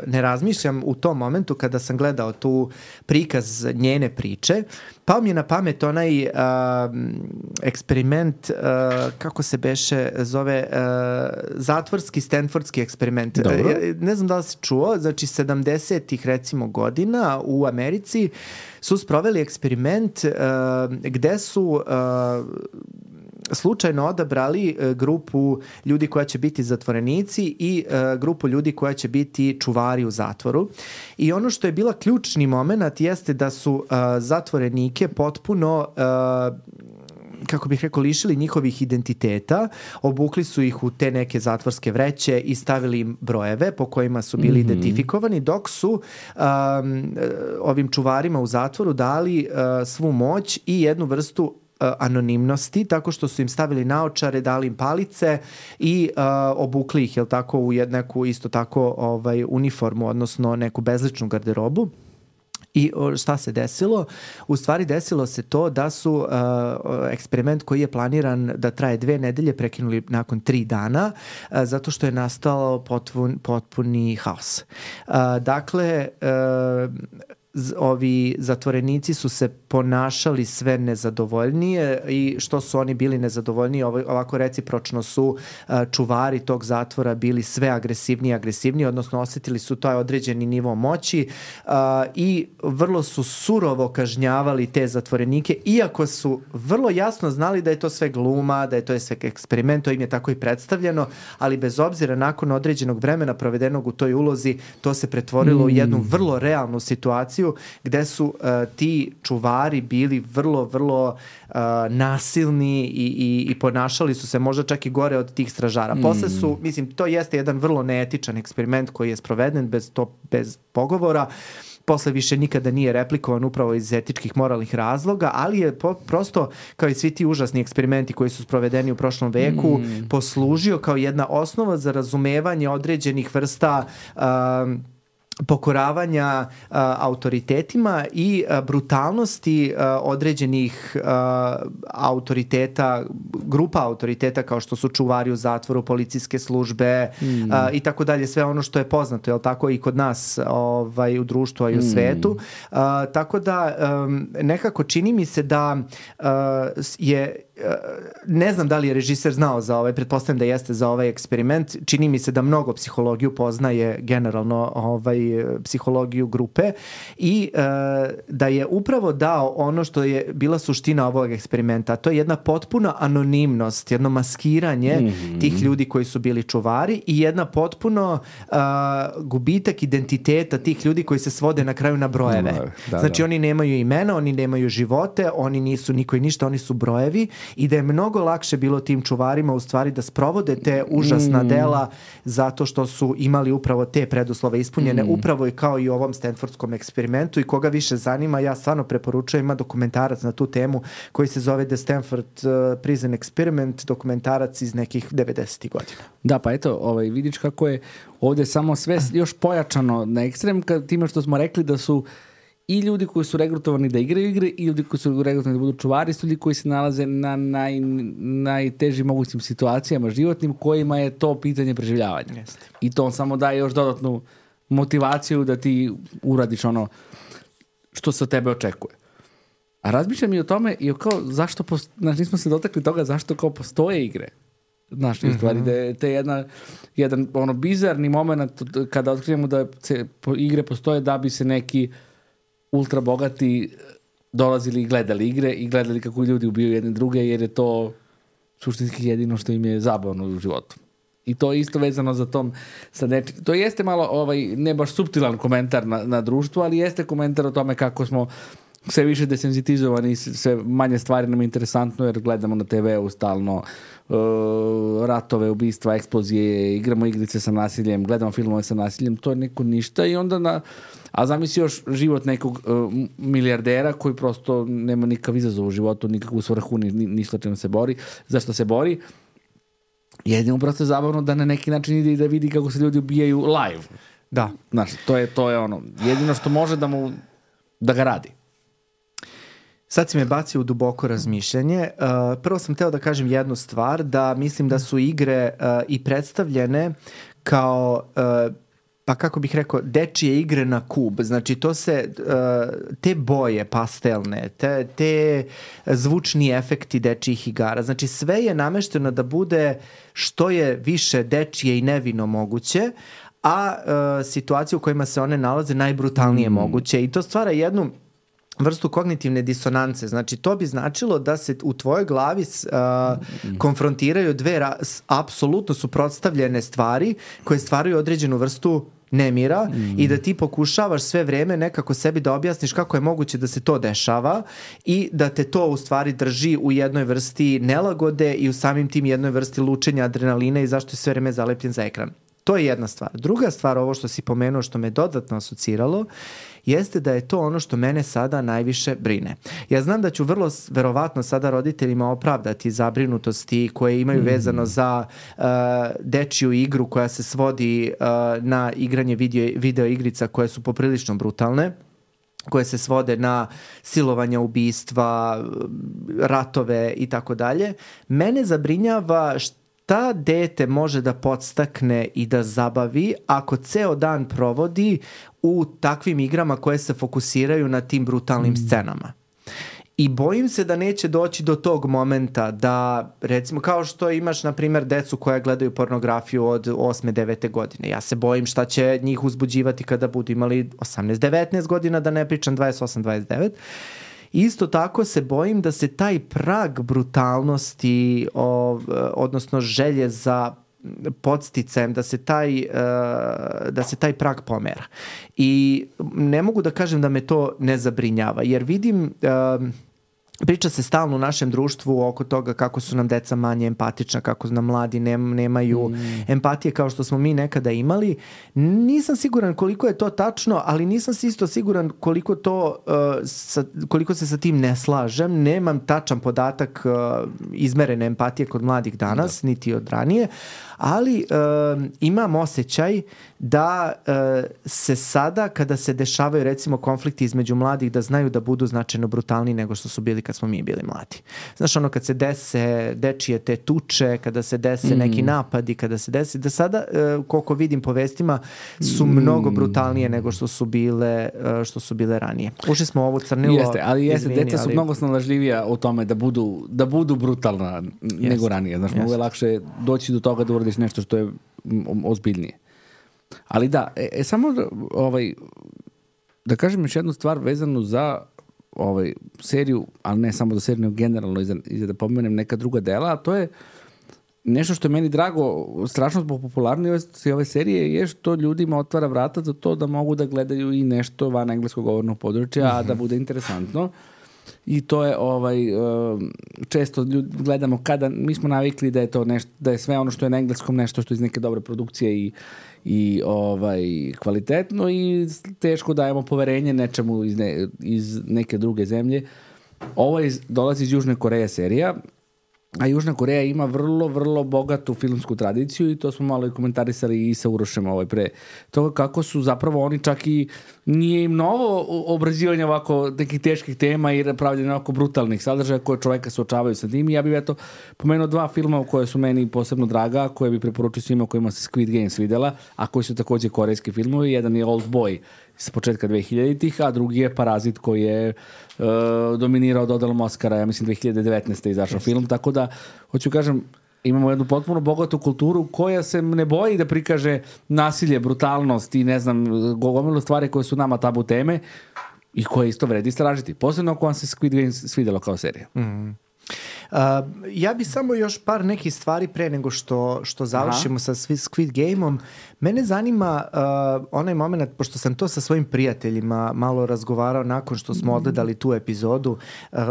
ne razmišljam u tom momentu kada sam gledao tu prikaz njene priče, pao mi je na pamet onaj eksperiment, kako se beše zove, zatvorski stanfordski eksperiment. Ne znam da li si čuo, znači 70-ih recimo godina u Americi su sproveli eksperiment gde su slučajno odabrali grupu ljudi koja će biti zatvorenici i grupu ljudi koja će biti čuvari u zatvoru. I ono što je bila ključni moment jeste da su zatvorenike potpuno kako bih rekao, lišili njihovih identiteta, obukli su ih u te neke zatvorske vreće i stavili im brojeve po kojima su bili identifikovani, dok su ovim čuvarima u zatvoru dali svu moć i jednu vrstu anonimnosti, tako što su im stavili naočare, dali im palice i obukli ih, jel tako, u neku isto tako uniformu, odnosno neku bezličnu garderobu. I šta se desilo? U stvari desilo se to da su eksperiment koji je planiran da traje 2 nedelje prekinuli nakon 3 dana, zato što je nastao potpuni haos. Dakle, ovi zatvorenici su se ponašali sve nezadovoljnije i što su oni bili nezadovoljniji, ovako recipročno su čuvari tog zatvora bili sve agresivniji, odnosno osjetili su taj određeni nivo moći i vrlo su surovo kažnjavali te zatvorenike, iako su vrlo jasno znali da je to sve gluma, da je to sve eksperiment, to im je tako i predstavljeno, ali bez obzira nakon određenog vremena provedenog u toj ulozi, to se pretvorilo u jednu vrlo realnu situaciju gde su ti čuvari bili vrlo nasilni i ponašali su se možda čak i gore od tih stražara. Posle su, mislim, to jeste jedan vrlo neetičan eksperiment koji je sproveden bez pogovora. Posle više nikada nije replikovan upravo iz etičkih moralnih razloga, ali je prosto, kao i svi ti užasni eksperimenti koji su sprovedeni u prošlom veku, poslužio kao jedna osnova za razumevanje određenih vrsta pokoravanja autoritetima i brutalnosti određenih autoriteta, grupa autoriteta kao što su čuvari u zatvoru, policijske službe i tako dalje, sve ono što je poznato, jel tako, i kod nas u društvu, a i u svetu. Tako da nekako čini mi se da je, ne znam da li je režiser znao za ovaj, pretpostavljam da jeste za ovaj eksperiment, čini mi se da mnogo psihologiju poznaje generalno psihologiju grupe i da je upravo dao ono što je bila suština ovog eksperimenta, a to je jedna potpuna anonimnost, jedno maskiranje tih ljudi koji su bili čuvari i jedna potpuno gubitak identiteta tih ljudi koji se svode na kraju na brojeve. Znači oni nemaju imena, oni nemaju živote, oni nisu niko i ništa, oni su brojevi i da je mnogo lakše bilo tim čuvarima u stvari da sprovode te užasna dela zato što su imali upravo te preduslove ispunjene, upravo i kao i u ovom Stanfordskom eksperimentu, i koga više zanima, ja stvarno preporučujem, ima dokumentarac na tu temu koji se zove The Stanford Prison Experiment, dokumentarac iz nekih 90. godina. Da, pa eto, vidiš kako je ovdje samo sve još pojačano na ekstrem, time što smo rekli da su i ljudi koji su regrutovani da igraju igre i ljudi koji su regrutovani da budu čuvari, su ljudi koji se nalaze na najtežim mogućim situacijama životnim kojima je to pitanje preživljavanja. Jeste. I to samo daje još dodatnu motivaciju da ti uradiš ono što se od tebe očekuje. A razmišljam i o tome, i o kao zašto, znači nismo se dotakli toga zašto kao postoje igre. Znaš, u stvari, da je jedan ono bizarni moment kada otkrijemo da igre postoje da bi se neki ultra bogati dolazili i gledali igre i gledali kako ljudi ubijaju jedne druge, jer je to suštinski jedino što im je zabavno u životu. I to je isto vezano za tom to jeste malo ne baš suptilan komentar na društvo, ali jeste komentar o tome kako smo sve više desenzitizovani, sve manje stvari nam je interesantno jer gledamo na TV-u stalno ratove, ubistva, eksplozije, igramo igrice sa nasiljem, gledamo filmove sa nasiljem, to je neko ništa i onda a zamisli još život nekog milijardera koji prosto nema nikakav izazov u životu, nikakvu svrhu, ništa čemu se bori, zašto se bori. Jedino prosto je zabavno da na neki način ide i da vidi kako se ljudi ubijaju live. Da. Znaš, to je ono, jedino što može da ga radi. Sad si me bacio u duboko razmišljanje. Prvo sam hteo da kažem jednu stvar, da mislim da su igre i predstavljene kao, pa kako bih rekao, dečije igre na kub. Znači to se, te boje pastelne, te zvučni efekti dečijih igara, znači sve je namešteno da bude što je više dečije i nevino moguće, a situacije u kojima se one nalaze najbrutalnije moguće i to stvara jednu vrstu kognitivne disonance. Znači, to bi značilo da se u tvojoj glavi konfrontiraju dve apsolutno suprotstavljene stvari koje stvaraju određenu vrstu nemira i da ti pokušavaš sve vreme nekako sebi da objasniš kako je moguće da se to dešava i da te to u stvari drži u jednoj vrsti nelagode i u samim tim jednoj vrsti lučenja adrenalina i zašto je sve vreme zalepljen za ekran. To je jedna stvar. Druga stvar, ovo što si pomenuo, što me dodatno asociralo, jeste da je to ono što mene sada najviše brine. Ja znam da ću vrlo verovatno sada roditeljima opravdati zabrinutosti koje imaju vezano za dečiju igru koja se svodi na igranje video igrica koje su poprilično brutalne, koje se svode na silovanja, ubistva, ratove i tako dalje. Mene zabrinjava šta dete može da podstakne i da zabavi ako ceo dan provodi u takvim igrama koje se fokusiraju na tim brutalnim scenama. I bojim se da neće doći do tog momenta da, recimo, kao što imaš, na primjer, decu koja gledaju pornografiju od 8. 9. godine. Ja se bojim šta će njih uzbuđivati kada budu imali 18. 19 godina, da ne pričam 28. 29. Isto tako se bojim da se taj prag brutalnosti, odnosno želje za podsticajem, da se taj prag pomera. I ne mogu da kažem da me to ne zabrinjava, jer vidim, priča se stalno u našem društvu oko toga kako su nam deca manje empatična, kako nam mladi nemaju empatije kao što smo mi nekada imali. Nisam siguran koliko je to tačno, ali nisam si isto siguran koliko se sa tim ne slažem. Nemam tačan podatak izmerene empatije kod mladih danas, niti od ranije, ali imam osjećaj da se sada, kada se dešavaju recimo konflikti između mladih, da znaju da budu značajno brutalniji nego što su bili kad smo mi bili mladi. Znaš, ono kad se dese dečije te tuče, kada se dese neki napadi, kada se desi, da sada, koliko vidim po vestima, su mnogo brutalnije nego što su bile ranije. Ušli smo u ovu crnilo. Jeste, ali deca su mnogo snalažljivija u tome da budu brutalna nego ranije. Znaš, mnogo je lakše doći do toga da uradiš nešto što je ozbiljnije. Ali da, samo da kažem još jednu stvar vezanu za seriju, ali ne samo za seriju, nego generalno i da pomenem neka druga dela, a to je nešto što je meni drago, strašno zbog popularnosti ove serije, je što ljudima otvara vrata za to da mogu da gledaju i nešto van engleskog govornog područja, a da bude interesantno. I to je često gledamo kada mi smo navikli da je to nešto, da je sve ono što je na engleskom nešto što je iz neke dobre produkcije i kvalitetno i teško dajemo poverenje nečemu iz neke druge zemlje. Ovo dolazi iz Južne Koreje serija, a Južna Koreja ima vrlo, vrlo bogatu filmsku tradiciju i to smo malo i komentarisali i sa Urošem pre toga kako su zapravo oni čak i nije im novo obrađivanje ovako nekih teških tema i pravljanje ovako brutalnih sadržaja koje čoveka suočavaju sa tim. I ja bih pomenuo 2 filma koje su meni posebno draga, koje bi preporučio svima kojima se Squid Games videla, a koji su također korejski filmovi. Jedan je Old Boy sa početka 2000-ih, a drugi je Parazit koji je dominirao dodelom Oscara, ja mislim 2019. izašao film, tako da hoću kažem, imamo jednu potpuno bogatu kulturu koja se ne boji da prikaže nasilje, brutalnost i ne znam, gomilu stvari koje su nama tabu teme i koje isto vredi istražiti. Posebno ako vam se Squid Game svidjelo kao serija. Ja bi samo još par nekih stvari pre nego što završimo sa Squid Game-om. Mene zanima onaj moment, pošto sam to sa svojim prijateljima malo razgovarao nakon što smo odgledali tu epizodu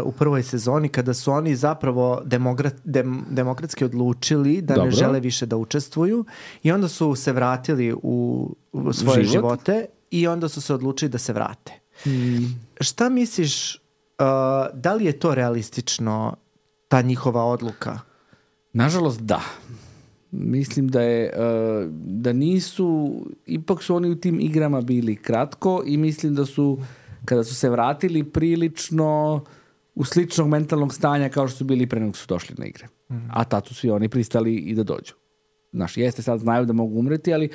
u prvoj sezoni, kada su oni zapravo demokratski odlučili da ne žele više da učestvuju i onda su se vratili u svoje živote i onda su se odlučili da se vrate. Šta misliš, da li je to realistično, ta njihova odluka? Nažalost, da. Mislim da nisu, ipak su oni u tim igrama bili kratko i mislim da su, kada su se vratili, prilično u sličnog mentalnog stanja kao što su bili pre nego su došli na igre. A tad su svi oni pristali i da dođu. Znaš, jeste sad znaju da mogu umreti, ali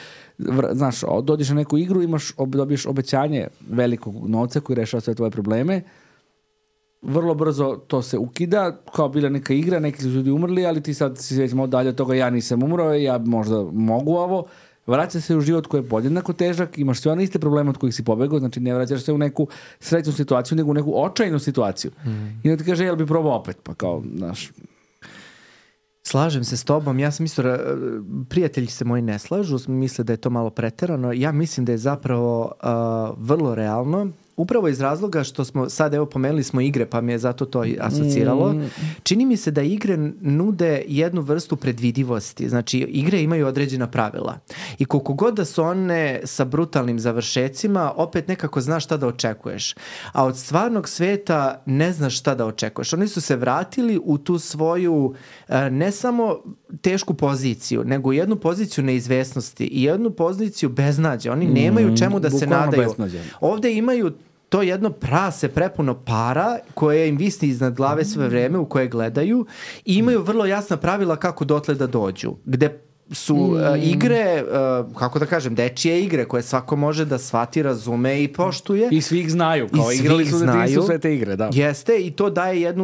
znaš, dođeš na neku igru, dobiješ obećanje velikog novca koji rešava sve tvoje probleme, vrlo brzo to se ukida, kao bila neka igra, neki su ljudi umrli, ali ti sad si već malo dalje od toga, ja nisam umro, ja možda mogu ovo, vraća se u život koji je podjednako težak, imaš sve one iste probleme od kojih si pobegao, znači ne vraćaš se u neku srećnu situaciju, nego u neku očajnu situaciju. I onda ti kaže, jel bi probao opet, pa kao, znaš... Slažem se s tobom, ja sam isto, prijatelji se moji ne slažu, misle da je to malo preterano, ja mislim da je zapravo vrlo realno, upravo iz razloga što smo, sad evo pomenuli smo igre pa mi je zato to asociralo, čini mi se da igre nude jednu vrstu predvidivosti, znači igre imaju određena pravila i koliko god da su one sa brutalnim završecima, opet nekako znaš šta da očekuješ, a od stvarnog sveta ne znaš šta da očekuješ. Oni su se vratili u tu svoju ne samo tešku poziciju, nego jednu poziciju neizvesnosti i jednu poziciju beznađa. Oni nemaju čemu da se nadaju. Ovde imaju to jedno prase prepuno para koje im visni iznad glave sve vreme u koje gledaju i imaju vrlo jasna pravila kako dotle da dođu. Gde su igre, kako da kažem, dečije igre koje svako može da shvati, razume i poštuje. I svi ih znaju, kao igrali su detinjstvu sve te igre, da. Jeste, i to daje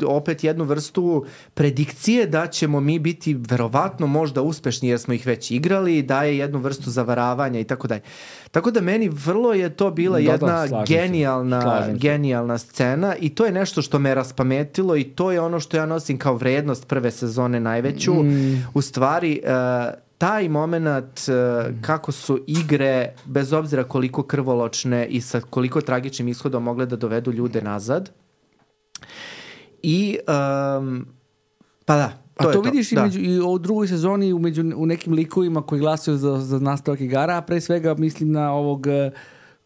opet jednu vrstu predikcije da ćemo mi biti verovatno možda uspešni jer smo ih već igrali, daje jednu vrstu zavaravanja i tako dalje. Tako da meni vrlo je to bila jedna genijalna scena i to je nešto što me raspametilo i to je ono što ja nosim kao vrednost prve sezone najveću. U stvari, taj moment kako su igre, bez obzira koliko krvoločne i sa koliko tragičnim ishodom mogle da dovedu ljude nazad. I pa da. A to vidiš i u drugoj sezoni u nekim likovima koji glasuju za nastavak igara, a pre svega mislim na ovog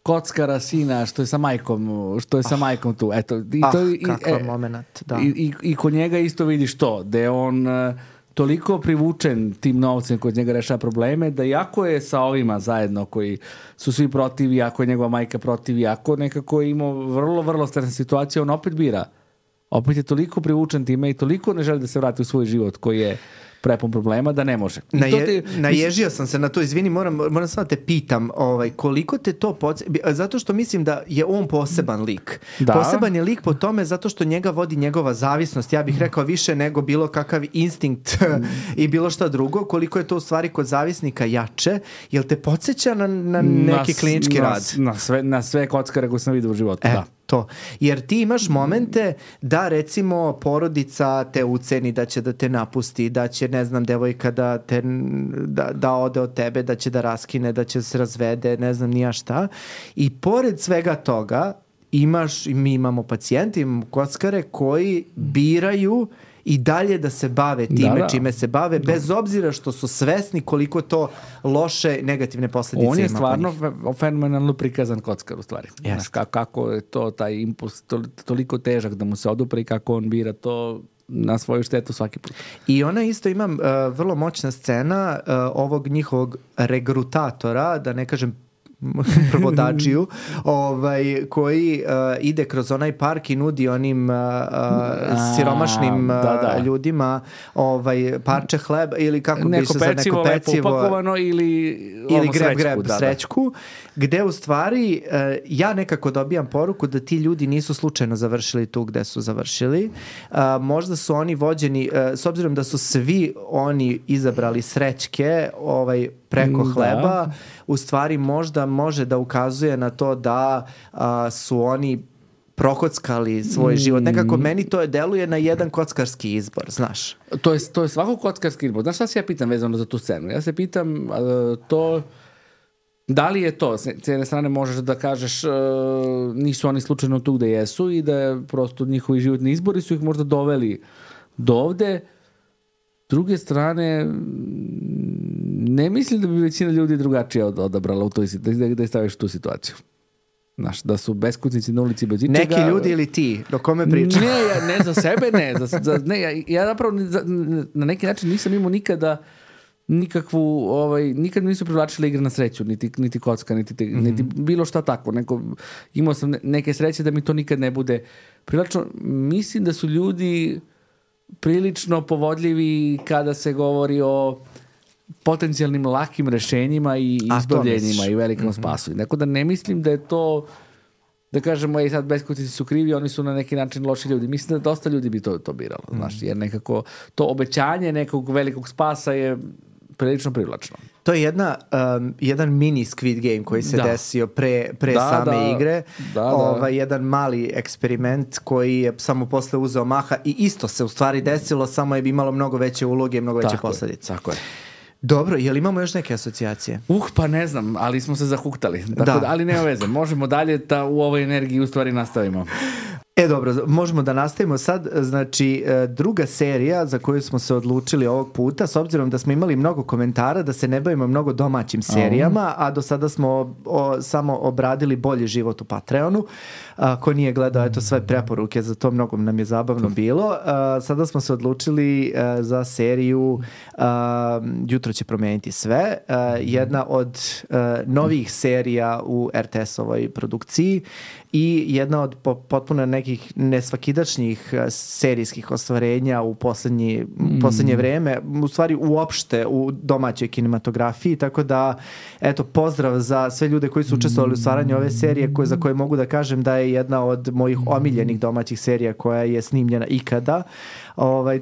kockara sina što je sa majkom tu. Eto, kakav moment, da. I kod njega isto vidiš to, da je on toliko privučen tim novcem kod njega rešava probleme, da jako je sa ovima zajedno koji su svi protiv, jako je njegova majka protiv, jako nekako je imao vrlo, vrlo stresna situacija, on opet bira. Opet je toliko privučen time i toliko ne želi da se vrati u svoj život koji je prepun problema da ne može. Naježio sam se na to, izvini, moram samo te pitam, koliko te to zato što mislim da je on poseban lik. Da. Poseban je lik po tome zato što njega vodi njegova zavisnost, ja bih rekao više nego bilo kakav instinkt i bilo šta drugo, koliko je to u stvari kod zavisnika jače, jel te podsjeća na neki klinički rad? Na sve kockare koje sam vidio u životu, da. To. Jer ti imaš momente da recimo porodica te uceni, da će da te napusti, da će, ne znam, devojka da ode od tebe, da će da raskine, da će se razvede, ne znam nija šta. I pored svega toga mi imamo pacijente, imamo kockare koji biraju i dalje da se bave time čime se bave, bez obzira što su svesni koliko to loše negativne posljedice ima. On je stvarno fenomenalno prikazan kockar u stvari. Znaš, kako je to taj impuls toliko težak da mu se odupre i kako on bira to na svoju štetu svaki put. I ona isto ima vrlo moćna scena ovog njihovog regrutatora, da ne kažem prvodačiju, koji ide kroz onaj park i nudi onim siromašnim ljudima parče hleba ili kako bi se za neko pecivo upakovano ili greb srećku, gde u stvari ja nekako dobijam poruku da ti ljudi nisu slučajno završili tu gde su završili. Možda su oni vođeni, s obzirom da su svi oni izabrali srećke preko hleba, u stvari možda može da ukazuje na to da su oni prokockali svoj život. Nekako meni to deluje na jedan kockarski izbor, znaš. To je svako kockarski izbor. Znaš šta se ja pitam vezano za tu scenu? Ja se pitam da li je to, s jedne strane možeš da kažeš nisu oni slučajno tu gde jesu i da prosto njihovi životni izbori su ih možda doveli do ovde. S druge strane, ne mislim da bi većina ljudi drugačije odabrala da je staviš u tu situaciju. Znaš, da su beskućnici na ulici bez ičega. Neki ljudi ili ti, do kome pričam? Ne za sebe, ne. Ja zapravo na neki način nisam imao nikada nikakvu, nikad mi nisu privlačile igre na sreću, niti kocka, niti bilo šta tako. Imao sam neke sreće da mi to nikad ne bude privlačno. Mislim da su ljudi prilično povodljivi kada se govori o potencijalnim lakim rešenjima i izbavljenjima i velikom spasu. Neko da ne mislim da je to, da kažemo, sad beskućnici su krivi, oni su na neki način loši ljudi. Mislim da dosta ljudi bi to biralo, znaš, jer nekako to obećanje nekog velikog spasa je prilično privlačno. To je jedan mini Squid Game koji se desio pre same igre. Jedan mali eksperiment koji je samo posle uzeo maha i isto se u stvari desilo, samo je imalo mnogo veće uloge i mnogo veće posledice. Tako je. Dobro, je li imamo još neke asocijacije? Pa ne znam, ali smo se zahuktali. Ali nema veze, možemo dalje da u ovoj energiji u stvari nastavimo. Dobro, možemo da nastavimo sad. Znači, druga serija za koju smo se odlučili ovog puta, s obzirom da smo imali mnogo komentara, da se ne bavimo mnogo domaćim serijama, a do sada smo samo obradili Bolji život u Patreonu. Ko nije gledao, eto sve preporuke, za to mnogo nam je zabavno bilo. Sada smo se odlučili za seriju Jutro će promeniti sve. Jedna od novih serija u RTS-ovoj produkciji i jedna od potpuno nekih nesvakidašnjih serijskih ostvarenja u poslednje vreme, u stvari uopšte u domaćoj kinematografiji, tako da eto, pozdrav za sve ljude koji su učestvovali u stvaranju ove serije, za koje mogu da kažem da je jedna od mojih omiljenih domaćih serija koja je snimljena ikada.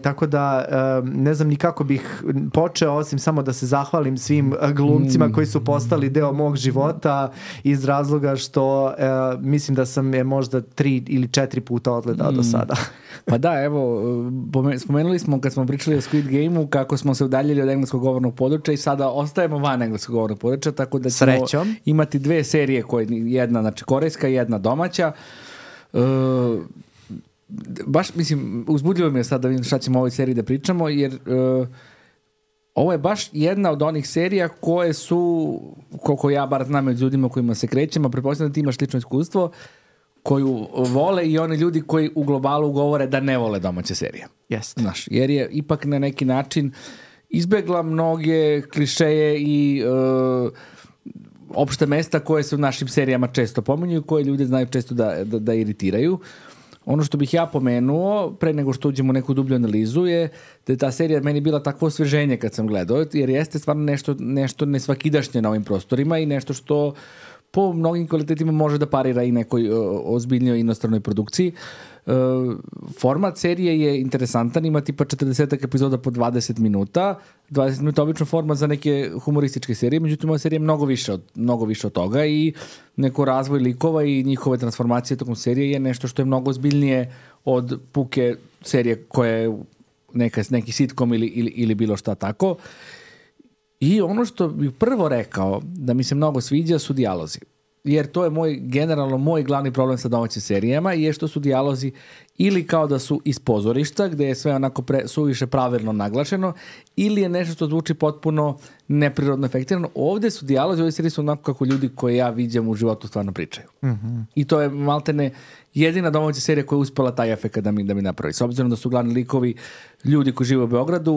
Tako da ne znam ni kako bih počeo, osim samo da se zahvalim svim glumcima koji su postali deo mog života, iz razloga što mislim da sam je možda 3 ili 4 puta odgledao do sada. Pa da, evo, spomenuli smo kad smo pričali o Squid Game-u kako smo se udaljili od engleskog govornog područja i sada ostajemo van engleskog govornog područja, tako da ćemo imati 2 serije, jedna znači korejska i jedna domaća. Baš, mislim, uzbudljivo mi je sad da vidim šta ćemo o ovoj seriji da pričamo, jer ovo je baš jedna od onih serija koje su, koliko ja bar znam od ljudima kojima se krećemo, pretpostavljam da ti imaš slično iskustvo, koju vole i oni ljudi koji u globalu govore da ne vole domaće serije. Jeste. Znaš, jer je ipak na neki način izbegla mnoge klišeje i opšte mesta koje se u našim serijama često pominju, koje ljudi znaju često da iritiraju. Ono što bih ja pomenuo, pre nego što uđemo u neku dublju analizu, je da je ta serija meni bila takvo osveženje kad sam gledao, jer jeste stvarno nešto nesvakidašnje na ovim prostorima i nešto što po mnogim kvalitetima može da parira i nekoj ozbiljnoj inostranoj produkciji. Format serije je interesantan, ima tipa 40 epizoda po 20 minuta. 20 minuta obično format za neke humorističke serije, međutim ova serija je mnogo više od toga i neko razvoj likova i njihove transformacije tokom serije je nešto što je mnogo ozbiljnije od puke serije koja je neki sitcom ili bilo šta tako. I ono što bih prvo rekao da mi se mnogo sviđa su dijalozi. Jer to je generalno moj glavni problem sa domaćim serijama, je što su dijalozi ili kao da su iz pozorišta, gde je sve onako suviše pravilno naglašeno, ili je nešto što zvuči potpuno neprirodno efektirano. Ovde su dijalozi, ove serije su onako kako ljudi koje ja viđam u životu stvarno pričaju. Mm-hmm. I to je maltene jedina domaća serija koja je uspela taj efekt da mi napravi. S obzirom da su glavni likovi ljudi koji žive u Beogradu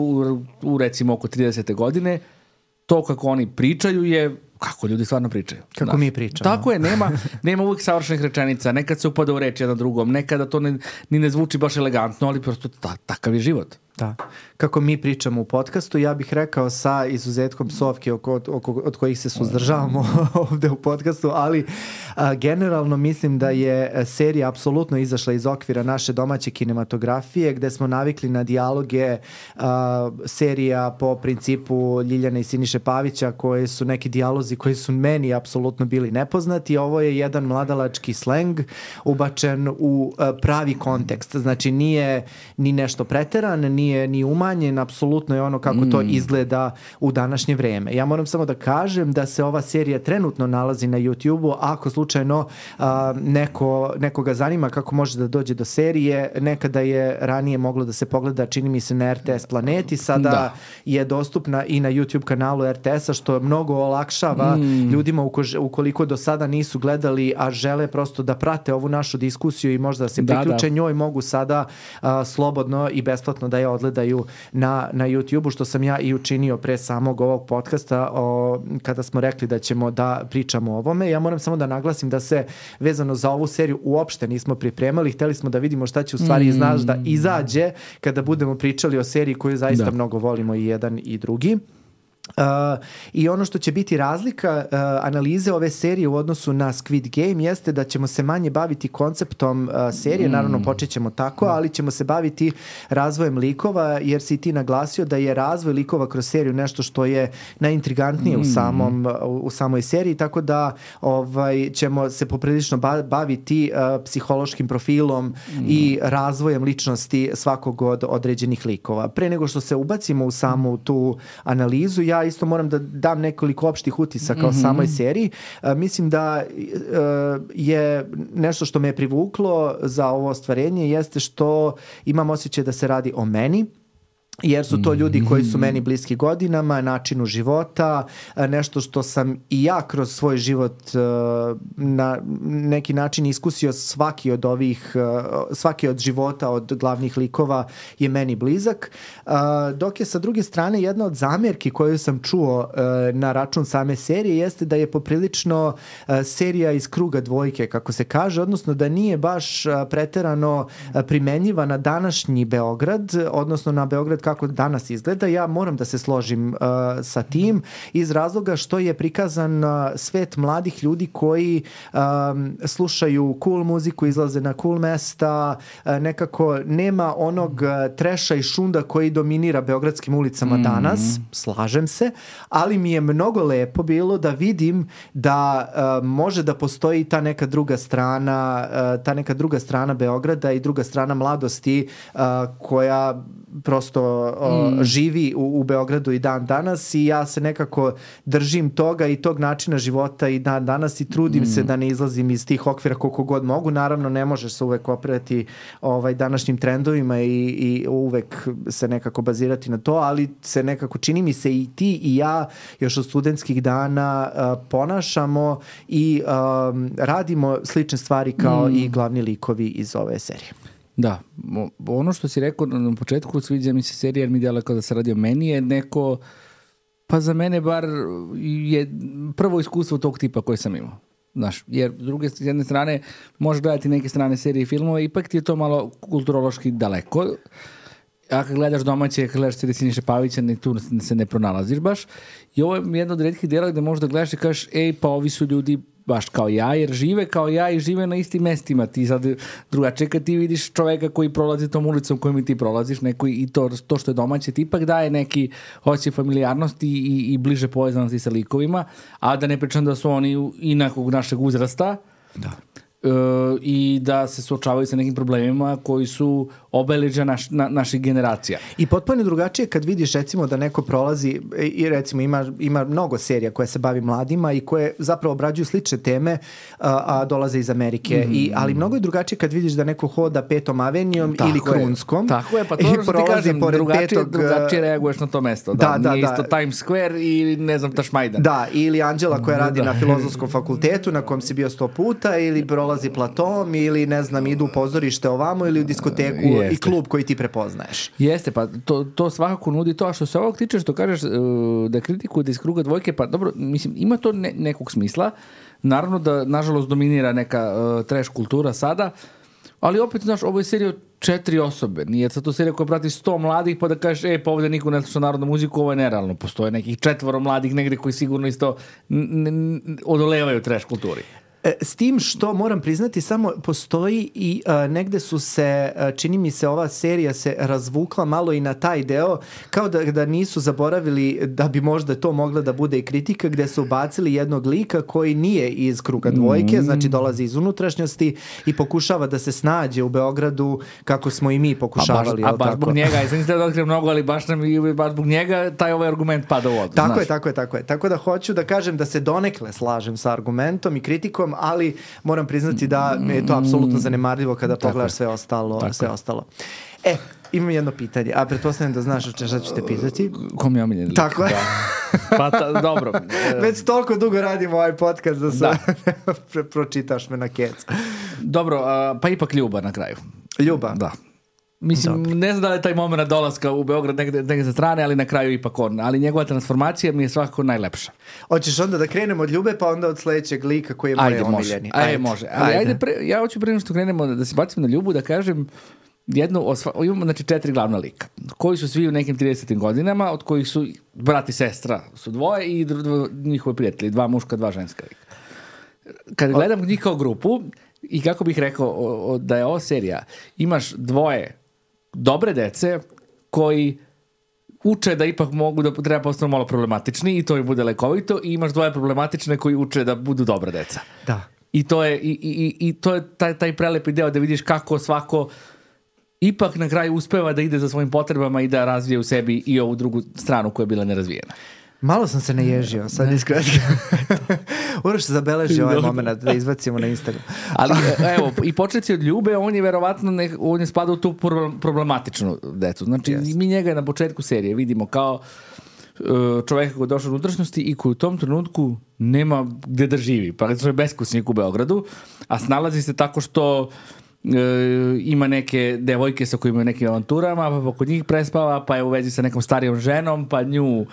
u recimo oko 30. godine, to kako oni pričaju je kako ljudi stvarno pričaju. Kako mi pričamo. Tako je, nema uvijek savršenih rečenica, nekad se upada u reč jedan drugom, nekada to ni ne zvuči baš elegantno, ali prosto takav je život. Da. Kako mi pričamo u podcastu, ja bih rekao sa izuzetkom psovki od kojih se suzdržavamo ovde u podcastu, ali generalno mislim da je serija apsolutno izašla iz okvira naše domaće kinematografije, gde smo navikli na dijaloge serija po principu Ljiljane i Siniše Pavića, koje su neki dijalozi koji su meni apsolutno bili nepoznati. Ovo je jedan mladalački sleng ubačen u pravi kontekst. Znači nije ni nešto preteran, nije ni umanjen, apsolutno je ono kako to izgleda u današnje vreme. Ja moram samo da kažem da se ova serija trenutno nalazi na YouTube-u, ako slučajno nekoga zanima kako može da dođe do serije, nekada je ranije moglo da se pogleda, čini mi se, na RTS Planeti, sada je dostupna i na YouTube kanalu RTS-a, što mnogo olakšava ljudima ukoliko do sada nisu gledali, a žele prosto da prate ovu našu diskusiju i možda se priključe njoj, mogu sada slobodno i besplatno da je odgledaju na YouTube-u, što sam ja i učinio pre samog ovog podcasta kada smo rekli da ćemo da pričamo o ovome. Ja moram samo da naglasim da se vezano za ovu seriju uopšte nismo pripremali, hteli smo da vidimo šta će u stvari da izađe kada budemo pričali o seriji koju zaista mnogo volimo i jedan i drugi. I ono što će biti razlika analize ove serije u odnosu na Squid Game jeste da ćemo se manje baviti konceptom serije, naravno počet ćemo tako, ali ćemo se baviti razvojem likova, jer si ti naglasio da je razvoj likova kroz seriju nešto što je najintrigantnije u samoj seriji, tako da ćemo se poprilično baviti psihološkim profilom i razvojem ličnosti svakog od određenih likova. Pre nego što se ubacimo u samu tu analizu, ja isto moram da dam nekoliko opštih utisaka o samoj seriji. Mislim da je nešto što me je privuklo za ovo ostvarenje jeste što imam osjećaj da se radi o meni, jer su to ljudi koji su meni bliski godinama, načinu života, nešto što sam i ja kroz svoj život na neki način iskusio. Svaki od života od glavnih likova je meni blizak, dok je sa druge strane jedna od zamjerki koju sam čuo na račun same serije jeste da je poprilično serija iz kruga dvojke, kako se kaže, odnosno da nije baš preterano primenjiva na današnji Beograd, odnosno na Beograd kako danas izgleda. Ja moram da se složim sa tim iz razloga što je prikazan svet mladih ljudi koji slušaju cool muziku, izlaze na cool mesta, nekako nema onog treša i šunda koji dominira beogradskim ulicama danas, slažem se, ali mi je mnogo lepo bilo da vidim da može da postoji ta neka druga strana Beograda i druga strana mladosti koja prosto živi u Beogradu i dan danas, i ja se nekako držim toga i tog načina života i dan danas i trudim se da ne izlazim iz tih okvira koliko god mogu. Naravno, ne možeš se uvek oprati današnjim trendovima i uvek se nekako bazirati na to, ali se nekako, čini mi se, i ti i ja još od studentskih dana ponašamo i radimo slične stvari kao i glavni likovi iz ove serije. Da, ono što si rekao na početku, sviđa mi se serija jer mi djeluje kao da se radi o meni, je neko, pa za mene bar je prvo iskustvo tog tipa koje sam imao. Znaš, jer s jedne strane možeš gledati neke strane serije i filmove, ipak ti je to malo kulturološki daleko. A kad gledaš domaće, kad gledaš serije Siniše Pavića, tu se ne pronalaziš baš. I ovo je jedno od retkih djela gde možda gledaš i kažeš, pa ovi su ljudi baš kao ja, jer žive kao ja i žive na istim mestima. Ti sad drugačije kad ti vidiš čoveka koji prolazi tom ulicom kojim i ti prolaziš, neko i to što je domaće ti ipak daje neki osjećaj familijarnosti i bliže povezanosti sa likovima, a da ne pričam da su oni inakog našeg uzrasta. Da. I da se suočavaju sa nekim problemima koji su obeležja naših generacija. I potpuno drugačije kad vidiš recimo da neko prolazi i recimo ima mnogo serija koje se bavi mladima i koje zapravo obrađuju slične teme, a dolaze iz Amerike. Ali mnogo je drugačije kad vidiš da neko hoda Petom avenijom ili Krunskom. Tako je, pa to što ti kažem, drugačije reaguješ na to mesto. Nije isto Times Square i ne znam Tašmajdan. Da, ili Anđela koja radi na Filozofskom fakultetu na kom si bio 100 puta, ili prolazi dolazi platom ili ne znam idu u pozorište ovamo ili u diskoteku i klub koji ti prepoznaješ. Jeste, pa to svakako nudi to, a što se ovog tiče što kažeš da kritikuju da iz kruga dvojke, pa dobro, mislim, ima to nekog smisla, naravno da nažalost dominira neka trash kultura sada, ali opet, znaš, ovo je serija od 4 osobe. Nije sad to serija koja prati 100 mladih pa da kažeš, pa ovdje niko ne sluša narodnu muziku, ovo je nerealno. Postoje nekih 4 mladih negdje koji sigurno isto odolevaju trash kulturi. S tim što moram priznati samo postoji i negde su se, čini mi se ova serija se razvukla malo i na taj deo, kao da nisu zaboravili da bi možda to mogla da bude i kritika, gde su ubacili jednog lika koji nije iz kruga dvojke, znači dolazi iz unutrašnjosti i pokušava da se snađe u Beogradu kako smo i mi pokušavali. A baš zbog njega, ja sam nisam da otkrijem mnogo, ali baš zbog njega taj ovaj argument pada u vodu. Tako je. Tako da hoću da kažem da se donekle slažem sa argumentom i kritikom, ali moram priznati da je to apsolutno zanemarljivo kada pogledaš sve ostalo. Imam jedno pitanje, a pretpostavljam da znaš šta ću te pitati. Kom je omiljen lik? Tako je. Dobro. Već toliko dugo radimo ovaj podcast da se pročitaš me na kec. Dobro, pa ipak Ljuba na kraju. Ljuba? Da. Mislim, ne znam da li je taj moment dolaska u Beograd negdje sa strane, ali na kraju ipak on. Ali njegova transformacija mi je svakako najlepša. Hoćeš onda da krenemo od Ljube, pa onda od sledećeg lika koji je moj omiljeni. Može. Ali ja hoću prije što krenemo da se bacimo na Ljubu, da kažem imamo znači 4 glavna lika, koji su svi u nekim 30. godinama, od kojih su brat i sestra su dvoje i njihovi prijatelji, 2 muška, 2 ženska lika. Kad gledam njih kao grupu, i kako bih rekao da je ova serija, imaš 2 dobre dece koji uče da ipak mogu da treba postanu malo problematični i to im bude lekovito, i imaš 2 problematične koji uče da budu dobra deca. Da. I to je taj prelepi deo da vidiš kako svako ipak na kraju uspeva da ide za svojim potrebama i da razvije u sebi i ovu drugu stranu koja je bila nerazvijena. Malo sam se naježio, sad iskreno. Moraš se zabeleži ovaj moment da izbacimo na Instagram. Ali evo, i početi od Ljube, on je verovatno on je spada u tu problematičnu decu. Znači, mi njega na početku serije vidimo kao čoveka koji je došao u unutrašnjosti i koji u tom trenutku nema gde da živi. Pa je beskućnik u Beogradu, a snalazi se tako što ima neke devojke sa kojima je nekim avanturama, pa kod njih prespava, pa je u vezi sa nekom starijom ženom, pa nju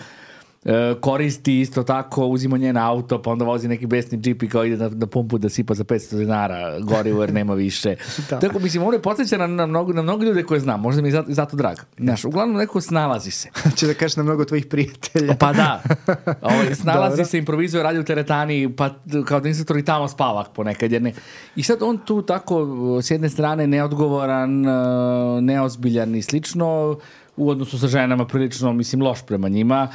koristi isto tako, uzima njen auto, pa onda vozi neki besni džip i kao ide na pumpu da sipa za 500 dinara gorivo jer nema više. Tako, mislim, ovo je podsjeća na mnogo ljude koje znam, možda mi je zato drag. Znaš, uglavnom neko snalazi se. Će da kažeš na mnogo tvojih prijatelja. Pa da. Snalazi se, improvizuje, radi u teretani, pa kao da instruktor i tamo spava ponekad. I sad on tu tako, s jedne strane, neodgovoran, neozbiljan i slično, u odnosu sa ženama prilično, mislim, loš prema njima,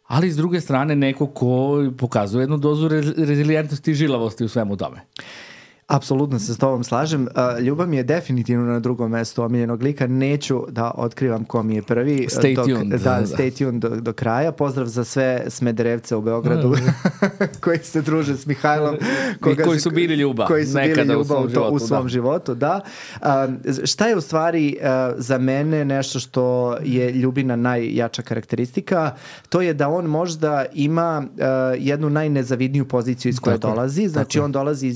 ali s druge strane neko ko pokazuje jednu dozu rezilijentnosti i žilavosti u svemu tome. Apsolutno se s tobom slažem. Ljubav mi je definitivno na drugom mestu omiljenog lika. Neću da otkrivam ko mi je prvi. Stay tuned do kraja. Pozdrav za sve Smederevce u Beogradu koji se druže s Mihajlom. I koji su bili Ljuba. Koji su bili Ljuba u svom životu. Da. Šta je u stvari za mene nešto što je Ljubina najjača karakteristika? To je da on možda ima jednu najnezavidniju poziciju iz koje dolazi. Znači on dolazi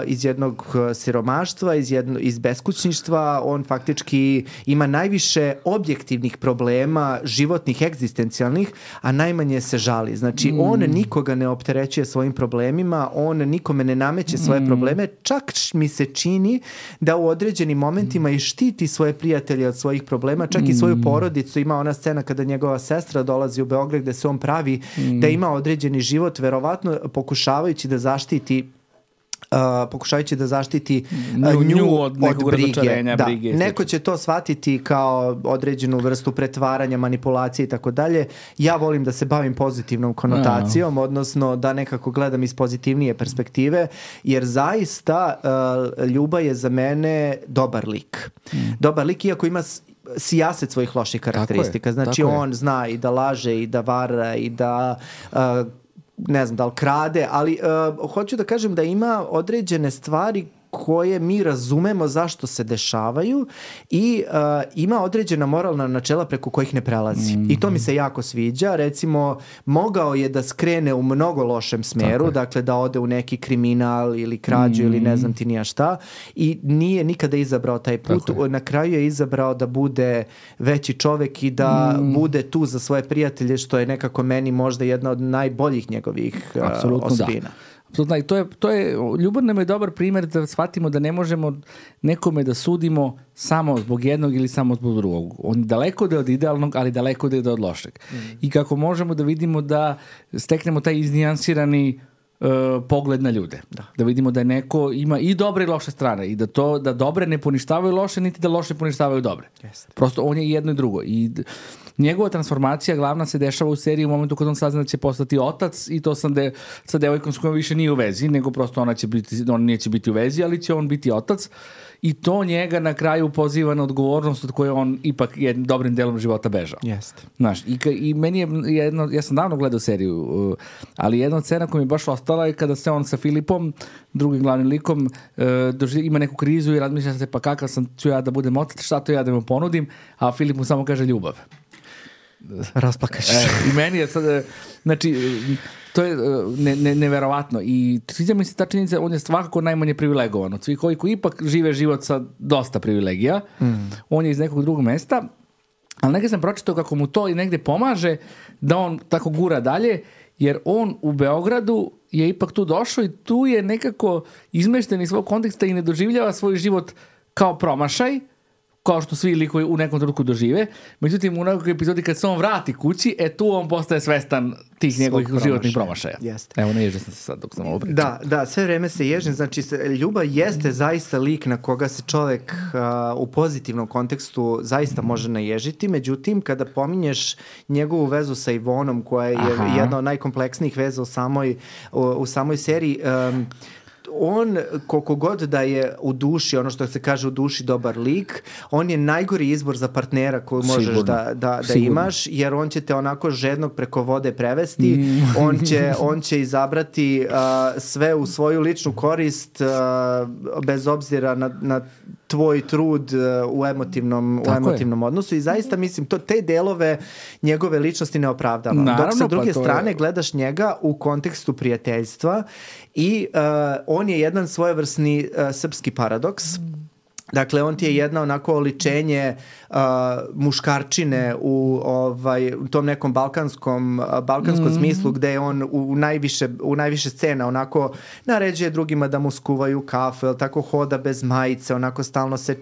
iz jednog siromaštva, iz beskućništva, on faktički ima najviše objektivnih problema, životnih, egzistencijalnih, a najmanje se žali. Znači, on nikoga ne opterećuje svojim problemima, on nikome ne nameće svoje probleme, čak mi se čini da u određenim momentima i štiti svoje prijatelje od svojih problema, čak i svoju porodicu. Ima ona scena kada njegova sestra dolazi u Beograd gde se on pravi da ima određeni život, verovatno pokušavajući da zaštiti nju od brige. Da. Neko će to shvatiti kao određenu vrstu pretvaranja, manipulacije i tako dalje. Ja volim da se bavim pozitivnom konotacijom, odnosno da nekako gledam iz pozitivnije perspektive, jer zaista Ljuba je za mene dobar lik. Dobar lik, iako ima sijaset svojih loših karakteristika. Znači on zna i da laže i da vara i da ne znam da li krade, ali hoću da kažem da ima određene stvari koje mi razumemo zašto se dešavaju i ima određena moralna načela preko kojih ne prelazi. I to mi se jako sviđa. Recimo, mogao je da skrene u mnogo lošem smeru, dakle da ode u neki kriminal ili krađu ili ne znam ti nija šta, i nije nikada izabrao taj put. Na kraju je izabrao da bude veći čovek i da bude tu za svoje prijatelje, što je nekako meni možda jedna od najboljih njegovih osobina. Da. Apsolutno, i to je, ljubav nam je dobar primjer da shvatimo da ne možemo nekome da sudimo samo zbog jednog ili samo zbog drugog. On daleko da je od idealnog, ali daleko da je od lošeg. I kako možemo da vidimo da steknemo taj iznijansirani pogled na ljude. Da vidimo da neko ima i dobre i loše strane i da dobre ne poništavaju loše, niti da loše poništavaju dobre. Prosto on je jedno i drugo. I njegova transformacija glavna se dešava u seriji u momentu kad on sazna da će postati otac, i to sa devojkom s kojom više nije u vezi, nego prosto on neće biti u vezi, ali će on biti otac, i to njega na kraju poziva na odgovornost od koje on ipak jednim dobrim delom života bežao. Znaš, i meni je ja sam davno gledao seriju, ali jedna od scena koja mi je baš ostala je kada se on sa Filipom, drugim glavnim likom, ima neku krizu i razmišlja se, pa kakav ću ja da budem otac, šta to ja da mu ponudim, a Filip mu samo kaže ljubav. Rasplakaćeš. I meni je sad, znači, to je neverovatno, i sviđa mi se ta činjenica, on je svakako najmanje privilegovan od svih koji ipak žive život sa dosta privilegija. On je iz nekog drugog mesta, ali negdje sam pročitao kako mu to i negdje pomaže da on tako gura dalje, jer on u Beogradu je ipak tu došao i tu je nekako izmešten iz svog konteksta i ne doživljava svoj život kao promašaj, kao što svi likovi u nekom trenutku dožive. Međutim, u nekoj epizodi kad se on vrati kući, tu on postaje svestan tih njegovih životnih promašaja. Evo, ne ježim sam se sad dok sam ovo pričao. Da, sve vreme se ježim. Znači, ljubav jeste zaista lik na koga se čovek u pozitivnom kontekstu zaista može naježiti. Međutim, kada pominješ njegovu vezu sa Ivonom, koja je jedna od najkompleksnijih veza u samoj seriji, on, koliko god da je u duši, ono što se kaže u duši dobar lik, on je najgori izbor za partnera koju možeš da imaš, jer on će te onako žednog preko vode prevesti, on će izabrati sve u svoju ličnu korist, bez obzira na tvoj trud u emotivnom odnosu, i zaista mislim, te delove njegove ličnosti ne opravdava. Dok sa druge strane gledaš njega u kontekstu prijateljstva i on je jedan svojevrsni srpski paradoks. Dakle, on ti je jedna onako oličenje muškarčine u tom nekom balkanskom smislu, gde je on u najviše scena onako naređuje drugima da mu skuvaju kafu, jel tako, hoda bez majice, onako stalno se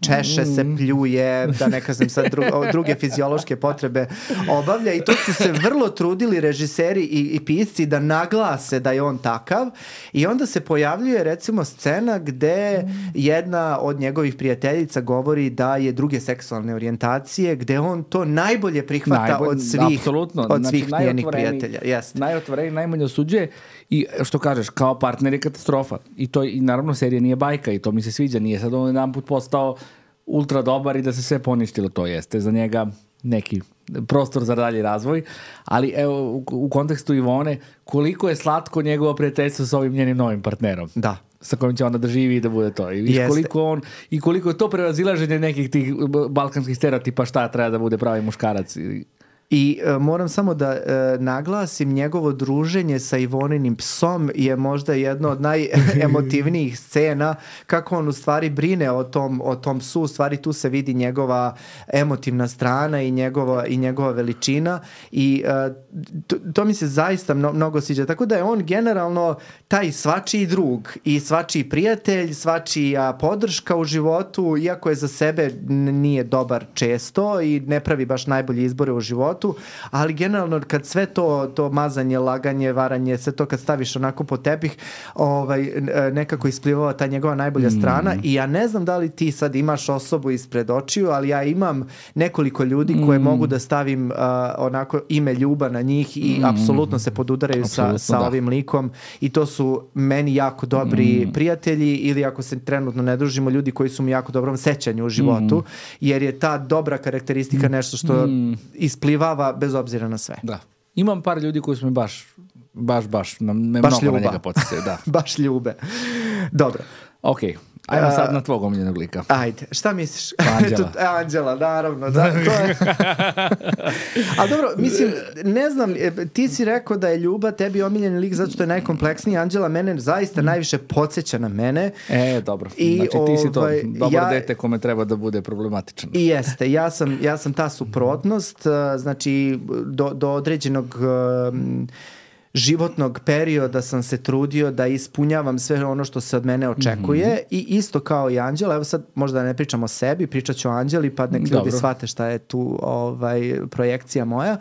češe, se pljuje, da ne kažem sad druge fiziološke potrebe obavlja, i to su se vrlo trudili režiseri i pisci da naglase da je on takav, i onda se pojavljuje recimo scena gde jedna od njegovih prijateljica govori da je druge seksualne orijentacije, gde on to najbolje prihvata od svih njenih prijatelja. Najotvoreniji, najmanje osuđuje, i što kažeš, kao partner je katastrofa. I naravno serija nije bajka i to mi se sviđa. Nije sad on jedan put postao ultra dobar i da se sve poništilo. To jeste za njega neki prostor za dalji razvoj, ali evo u kontekstu Ivone, koliko je slatko njegovo prijateljstvo sa ovim njenim novim partnerom. Da. Sa kojim će onda da živi i da bude to. I viš koliko je to prevazilaženje nekih tih balkanskih stereotipa šta treba da bude pravi muškarac. I moram samo da naglasim, njegovo druženje sa Ivoninim psom je možda jedno od najemotivnijih scena, kako on u stvari brine o tom psu. U stvari tu se vidi njegova emotivna strana i njegova veličina, i to mi se zaista mnogo sviđa. Tako da je on generalno taj svačiji drug i svačiji prijatelj, svačija podrška u životu, iako je za sebe nije dobar često i ne pravi baš najbolje izbore u životu, ali generalno kad sve to mazanje, laganje, varanje, sve to kad staviš onako po tepih, nekako isplivava ta njegova najbolja strana. I ja ne znam da li ti sad imaš osobu ispred očiju, ali ja imam nekoliko ljudi koje mogu da stavim onako ime ljubav na njih i apsolutno se podudaraju sa ovim likom, i to su meni jako dobri prijatelji, ili ako se trenutno ne družimo, ljudi koji su mi jako dobrom sećanju u životu, jer je ta dobra karakteristika nešto što isplivava bez obzira na sve. Da. Imam par ljudi koji su mi baš mnogo na njega poticaju. Da. Baš ljube. Dobro. Ok, ajmo sad na tvog omiljenog lika. Ajde, šta misliš? Anđela. Anđela, naravno. Da, to je... Ali dobro, mislim, ne znam, ti si rekao da je Ljuba tebi omiljeni lik zato što je najkompleksniji. Anđela mene zaista najviše podsjeća na mene. Dobro. Znači ti si to dobro dete kome treba da bude problematičan. I jeste, ja sam ta suprotnost, znači do određenog životnog perioda sam se trudio da ispunjavam sve ono što se od mene očekuje i isto kao i Anđela, evo sad možda ne pričam o sebi, pričat ću o Anđeli pa nek ljudi shvate šta je tu projekcija moja.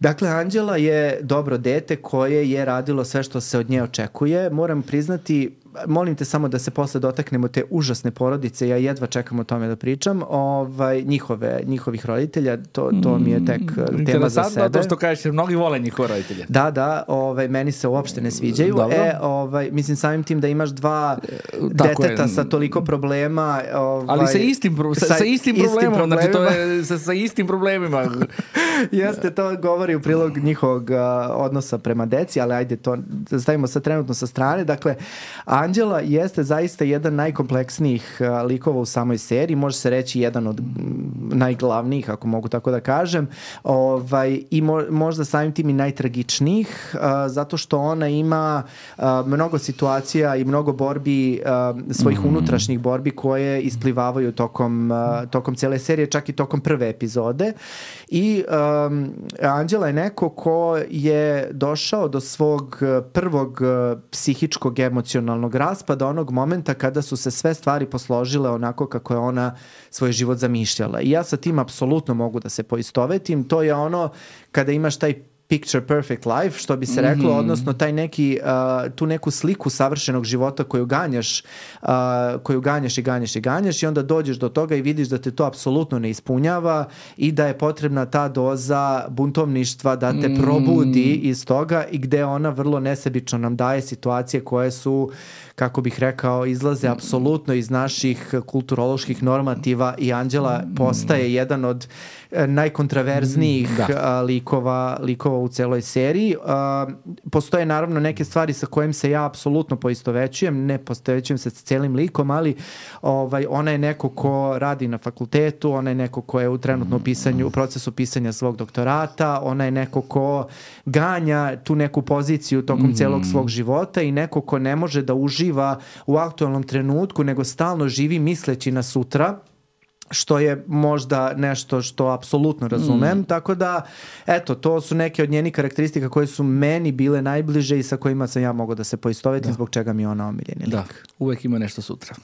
Dakle, Anđela je dobro dete koje je radilo sve što se od nje očekuje. Moram priznati, molim te samo da se posle dotaknemo te užasne porodice, ja jedva čekam o tome da pričam, njihovih roditelja, to mi je tek tema za sebe. To što kažeš, mnogi vole njihove roditelje. Da, meni se uopšte ne sviđaju. Mislim samim tim da imaš dva deteta sa toliko problema. Ali sa istim problemom, znači to je sa istim problemima. Jeste, to govori u prilog njihovog odnosa prema deci, ali ajde, to stavimo sad trenutno sa strane. Dakle, Anđela jeste zaista jedan najkompleksnijih likova u samoj seriji, može se reći jedan od najglavnijih, ako mogu tako da kažem, i možda samim tim i najtragičnijih, zato što ona ima mnogo situacija i mnogo borbi, svojih unutrašnjih borbi koje isplivavaju tokom cijele serije, čak i tokom prve epizode. I Anđela je neko ko je došao do svog prvog psihičkog emocionalnog raspada onog momenta kada su se sve stvari posložile onako kako je ona svoj život zamišljala. I ja sa tim apsolutno mogu da se poistovetim. To je ono kada imaš taj picture perfect life, što bi se reklo, odnosno taj neki, tu neku sliku savršenog života koju ganjaš i onda dođeš do toga i vidiš da te to apsolutno ne ispunjava i da je potrebna ta doza buntovništva da te probudi iz toga i gde ona vrlo nesebično nam daje situacije koje su, kako bih rekao, izlaze apsolutno iz naših kulturoloških normativa i Anđela postaje jedan od najkontraverznijih likova u celoj seriji. Postoje naravno neke stvari sa kojim se ja apsolutno poistovećujem, ne poistovećujem se sa celim likom, ali ona je neko ko radi na fakultetu, ona je neko ko je u trenutnom u procesu pisanja svog doktorata, ona je neko ko ganja tu neku poziciju tokom celog svog života i neko ko ne može da uživa u aktualnom trenutku, nego stalno živi misleći na sutra, što je možda nešto što apsolutno razumem, tako da, eto, to su neke od njenih karakteristika koje su meni bile najbliže i sa kojima sam ja mogao da se poistovetim, zbog čega mi je ona omiljeni lik. Da, uvek ima nešto sutra.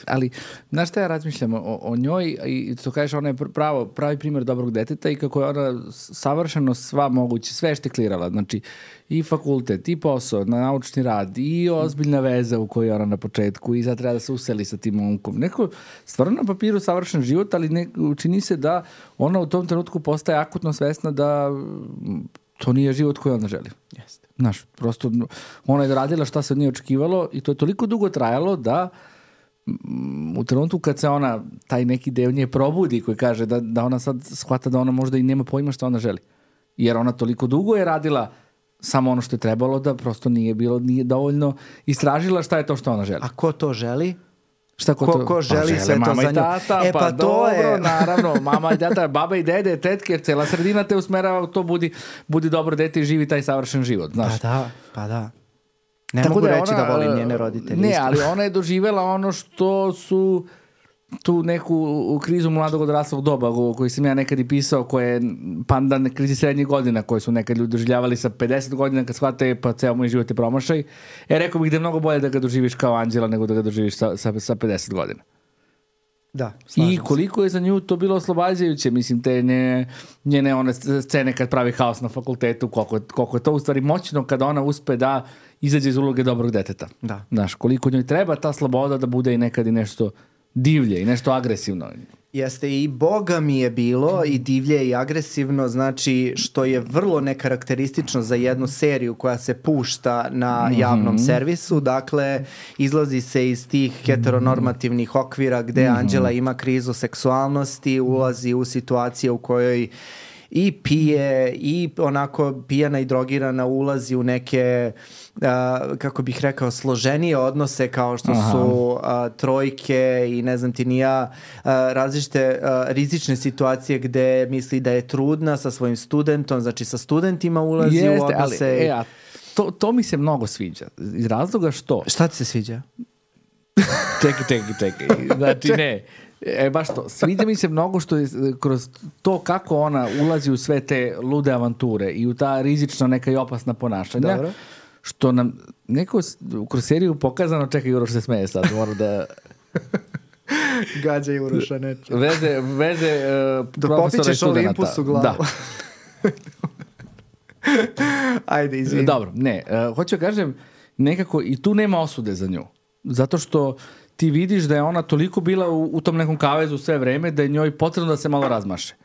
Ali, znaš šta ja razmišljam o njoj i to kažeš, ona je pravi primjer dobrog deteta i kako je ona savršeno sva moguće, sve šteklirala, znači i fakultet, i posao, naučni rad, i ozbiljna veza u kojoj je ona na početku i sad treba da se useli sa tim momkom. Neko stvarno na papiru savršen život, ali čini se da ona u tom trenutku postaje akutno svesna da to nije život koji ona želi. Jeste. Znaš, prosto ona je radila šta se od nje očekivalo i to je toliko dugo trajalo da u trenutku kad se ona, taj neki deo nje probudi koji kaže da ona sad shvata da ona možda i nema pojma šta ona želi. Jer ona toliko dugo je radila samo ono što je trebalo da prosto nije dovoljno istražila šta je to što ona želi. A ko to želi? Šta ko želi sve to za nju? Tata, pa dobro, naravno, mama i tata, baba i dede, tetke, cela sredina te usmerava u to, budi dobro dete i živi taj savršen život, znaš. Pa da. Ne tako mogu reći da volim njene roditelje. Ne, ali ona je doživjela ono što su tu neku krizu mladog odraslog doba koju sam ja nekad i pisao, koje je pandan krizi srednjih godina koje su nekad ljudi doživljavali sa 50 godina kad shvate pa ceo moj život je promašaj. Rekao bih da je mnogo bolje da ga doživiš kao Anđela nego da ga doživiš sa 50 godina. Da, i koliko je za nju to bilo oslobađajuće, mislim, te njene one scene kad pravi haos na fakultetu, koliko je to u stvari moćno kada ona uspe da izađe iz uloge dobrog deteta. Da. Znaš, koliko njoj treba ta sloboda da bude i nekad i nešto divlje i nešto agresivno. Jeste, i Boga mi je bilo i divlje i agresivno, znači što je vrlo nekarakteristično za jednu seriju koja se pušta na javnom servisu, dakle izlazi se iz tih heteronormativnih okvira gde Anđela ima krizu seksualnosti, ulazi u situacije u kojoj i pije i onako pijana i drogirana ulazi u neke kako bih rekao složenije odnose kao što su trojke i ne znam ti ni ja različite rizične situacije gde misli da je trudna sa svojim studentom, znači sa studentima ulazi u odnose. Ali, to mi se mnogo sviđa iz razloga što... Šta ti se sviđa? Čekaj. Znači ne, baš to. Sviđa mi se mnogo što je kroz to kako ona ulazi u sve te lude avanture i u ta rizična neka i opasna ponašanja. Dobro. Što nam neko kroz seriju pokazano, čekaj, Uroš se smeje sad, mora da... Gađa i Uroša neče. Veze da profesora i popičeš Olympus u glavu. Da. Ajde, izvini. Dobro, ne, hoću da kažem, nekako i tu nema osude za nju. Zato što ti vidiš da je ona toliko bila u tom nekom kavezu sve vreme da je njoj potrebno da se malo razmaše.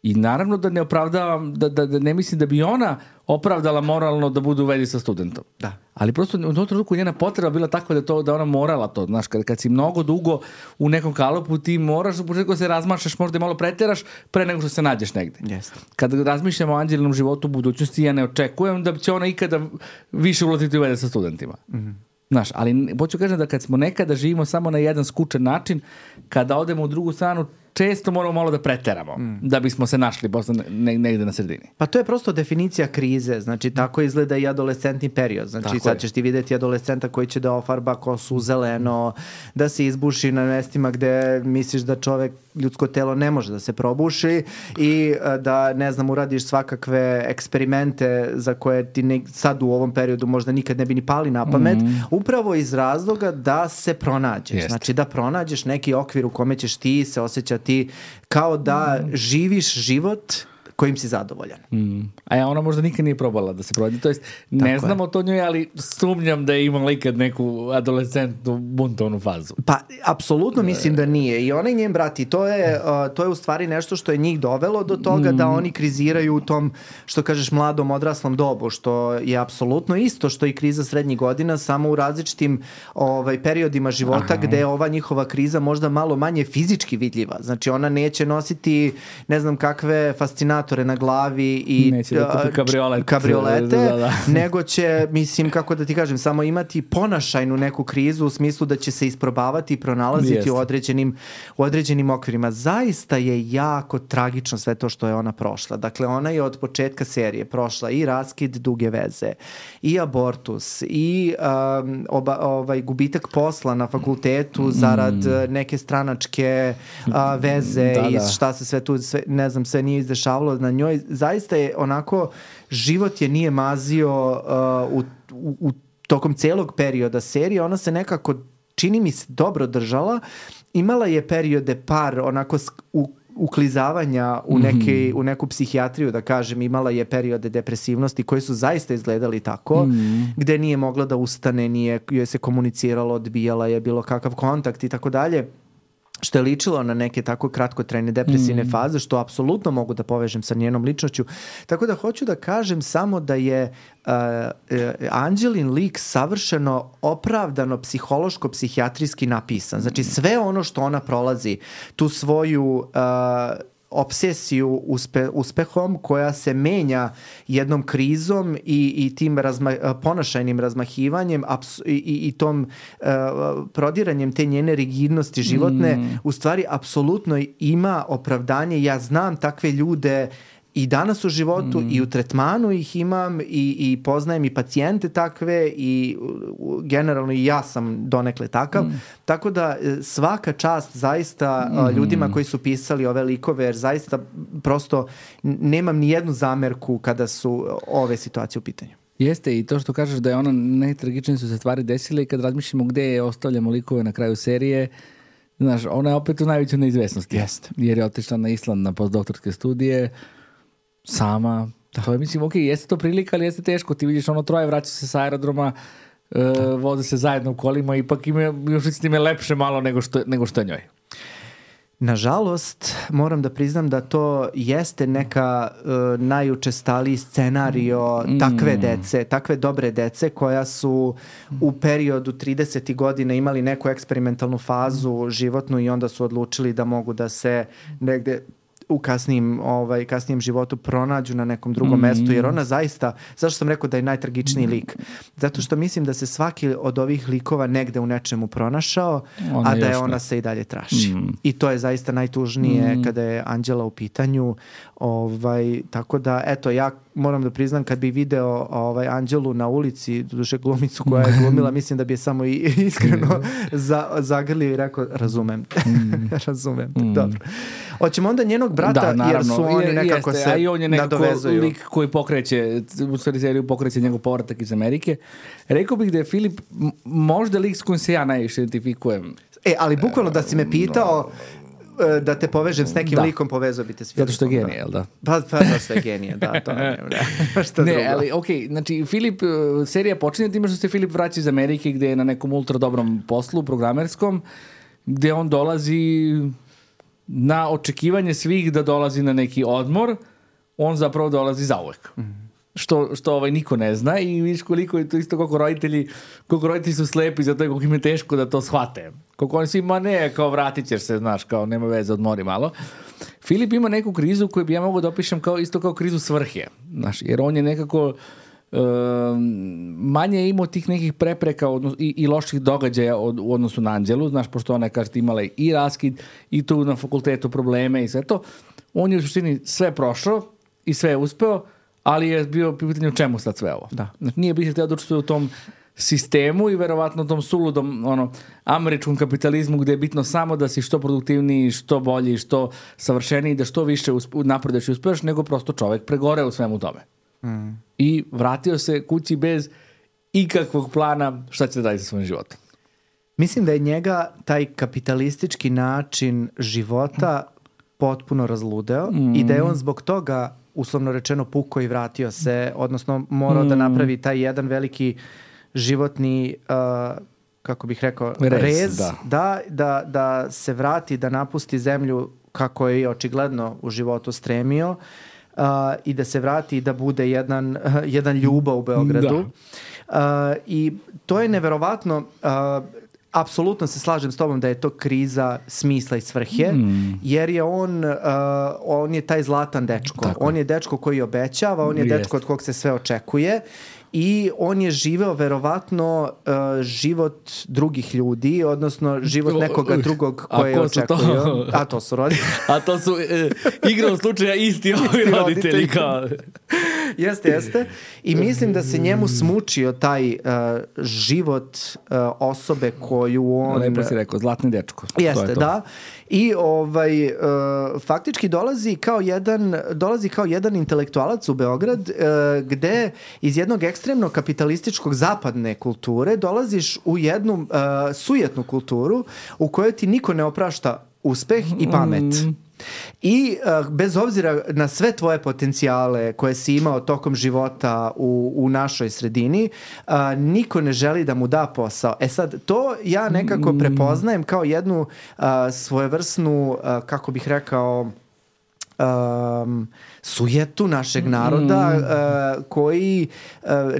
I naravno da ne opravdavam, da ne mislim da bi ona opravdala moralno da bude u vezi sa studentom. Da. Ali prosto u tom trenutku njena potreba bila takva da ona morala to. Znaš, kad si mnogo dugo u nekom kalupu, ti moraš u početku se razmašaš, možda i malo preteraš pre nego što se nađeš negde. Yes. Kad razmišljamo o Anđelinom životu u budućnosti, ja ne očekujem da će ona ikada više ulaziti u veze sa studentima. Znaš, ali hoću kažem da kad smo nekada živimo samo na jedan skučen način, kada odemo u drugu stranu, često moramo malo da preteramo, da bismo se našli posle negde na sredini. Pa to je prosto definicija krize, znači tako izgleda i adolescentni period. Znači tako sad ćeš ti vidjeti adolescenta koji će da ofarba kosu u zeleno, da se izbuši na mestima gde misliš da ljudsko telo ne može da se probuši i da, ne znam, uradiš svakakve eksperimente za koje ti sad u ovom periodu možda nikad ne bi ni pali na pamet, upravo iz razloga da se pronađeš. Jeste. Znači da pronađeš neki okvir u kome ćeš ti se osjećati kao da živiš život kojim si zadovoljan. A ona možda nikad nije probala da se pronađe. To jest, ne znamo to njoj, ali sumnjam da je imala ikad neku adolescentnu buntovnu fazu. Pa, apsolutno mislim da nije. I ona i njen brat, i to je u stvari nešto što je njih dovelo do toga da oni kriziraju u tom, što kažeš, mladom, odraslom dobu, što je apsolutno isto što i kriza srednjih godina, samo u različitim periodima života gde je ova njihova kriza možda malo manje fizički vidljiva. Znači, ona neće nositi ne znam kakve fascinatore na glavi i neće da kupi kabriolete, nego će, mislim, kako da ti kažem, samo imati ponašajnu neku krizu u smislu da će se isprobavati i pronalaziti u određenim okvirima. Zaista je jako tragično sve to što je ona prošla. Dakle, ona je od početka serije prošla i raskid duge veze, i abortus, i gubitak posla na fakultetu zarad neke stranačke veze i šta se sve tu, ne znam, sve nije izdešavalo na njoj. Zaista je onako, život je nije mazio u tokom celog perioda serije. Ona se nekako, čini mi se, dobro držala. Imala je periode par onako uklizavanja u neku psihijatriju, da kažem. Imala je periode depresivnosti koji su zaista izgledali tako, gde nije mogla da ustane, nije joj se komuniciralo, odbijala je bilo kakav kontakt i tako dalje, što je ličilo na neke tako kratkotrajne depresivne faze, što apsolutno mogu da povežem sa njenom ličnošću. Tako da hoću da kažem samo da je Anđelin lik savršeno opravdano psihološko-psihijatrijski napisan. Znači sve ono što ona prolazi, tu svoju obsesiju uspehom koja se menja jednom krizom i tim ponašajnim razmahivanjem i tom prodiranjem te njene rigidnosti životne, u stvari apsolutno ima opravdanje. Ja znam takve ljude i danas u životu i u tretmanu ih imam i poznajem i pacijente takve i generalno i ja sam donekle takav. Tako da svaka čast zaista ljudima koji su pisali ove likove, jer zaista prosto nemam ni jednu zamerku kada su ove situacije u pitanju. Jeste, i to što kažeš da je ona najtragičnije su se stvari desile i kad razmišljamo gde je ostavljamo likove na kraju serije, znaš, ona je opet u najvećoj neizvesnosti. Jeste. Jer je otišla na Island na postdoktorske studije sama. To je, mislim, ok, jeste to prilika, ali jeste teško. Ti vidiš ono troje, vraća se sa aerodroma, voze se zajedno u kolima, ipak još s time lepše malo nego što je njoj. Nažalost, moram da priznam da to jeste neka najučestaliji scenario takve dece, takve dobre dece koja su u periodu 30. godina imali neku eksperimentalnu fazu životnu i onda su odlučili da mogu da se negde u kasnijem životu pronađu na nekom drugom mestu, jer ona zaista, zašto sam rekao da je najtragičniji lik? Zato što mislim da se svaki od ovih likova negde u nečemu pronašao, a da je ona se i dalje traži. I to je zaista najtužnije kada je Anđela u pitanju. Tako da, eto, ja moram da priznam, kad bi video Anđelu na ulici, doduše glumicu koja je glumila, mislim da bi je samo iskreno zagrlio i rekao, razumem. Razumem. Dobro. Hoćemo onda njenog brata, da, jer su oni nekako se nadovezuju. A i on je nekako lik koji pokreće, u stvari seriju pokreće njegov povratak iz Amerike. Rekao bih da je Filip možda lik s kojim se ja najviše identifikujem. Ali bukvalno da si me pitao da te povežem s nekim likom, povezao bi te s Filipom. Zato što je genije, jel da? Pa što je genije, da, to ne. Što drugo. Ne, ali okej, znači Filip, serija počinje time što se Filip vraća iz Amerike gde je na nekom ultra dobrom poslu, programerskom, gde on dolazi na očekivanje svih da dolazi na neki odmor, on zapravo dolazi zauvek. Što niko ne zna i vidiš koliko je to isto koliko roditelji su slepi za to i koliko im je teško da to shvate. Koliko oni svi, kao vratit ćeš se, znaš, kao nema veze, odmori malo. Filip ima neku krizu koju bi ja mogu da opišem isto kao krizu svrhe, znaš, jer on je nekako manje imao tih nekih prepreka i loših događaja u odnosu na Anđelu, znaš, pošto ona kaže imala i raskid i tu na fakultetu probleme i sve to. On je u suštini sve prošao i sve je uspeo, ali je bio pitanje u čemu sad sve ovo. Da. Znači, nije biti htio da učestvuje u tom sistemu i verovatno tom suludom američkom kapitalizmu gde je bitno samo da si što produktivniji, što bolji, što savršeniji, da što više napreduješ i uspeš, nego prosto čovek pregore u svemu tome. I vratio se kući bez ikakvog plana šta će da daje sa svojim životom. Mislim da je njega taj kapitalistički način života potpuno razludeo i da je on zbog toga, uslovno rečeno, pukao i vratio se, odnosno morao da napravi taj jedan veliki životni, kako bih rekao, rez, da se vrati, da napusti zemlju kako je očigledno u životu stremio, i da se vrati i da bude jedan ljubav u Beogradu. I to je neverovatno. Apsolutno se slažem s tobom da je to kriza smisla i svrhe, jer je on je taj zlatan dečko. Tako. On je dečko koji obećava, on je dečko od kog se sve očekuje i on je živeo verovatno život drugih ljudi, odnosno život nekoga drugog koje očekuju. A to su roditelji. A to su igrom slučaja isti ovi roditelji. Jeste. I mislim da se njemu smučio taj život osobe koju on... Lepo si rekao, zlatni dečko. Jeste, da. I faktički dolazi kao jedan intelektualac u Beograd, gde iz jednog ekstremno kapitalističkog zapadne kulture dolaziš u jednu sujetnu kulturu u kojoj ti niko ne oprašta uspeh i pamet. I bez obzira na sve tvoje potencijale koje si imao tokom života u našoj sredini, niko ne želi da mu da posao. Sad, to ja nekako prepoznajem kao jednu svojevrsnu, kako bih rekao, sujetu našeg naroda koji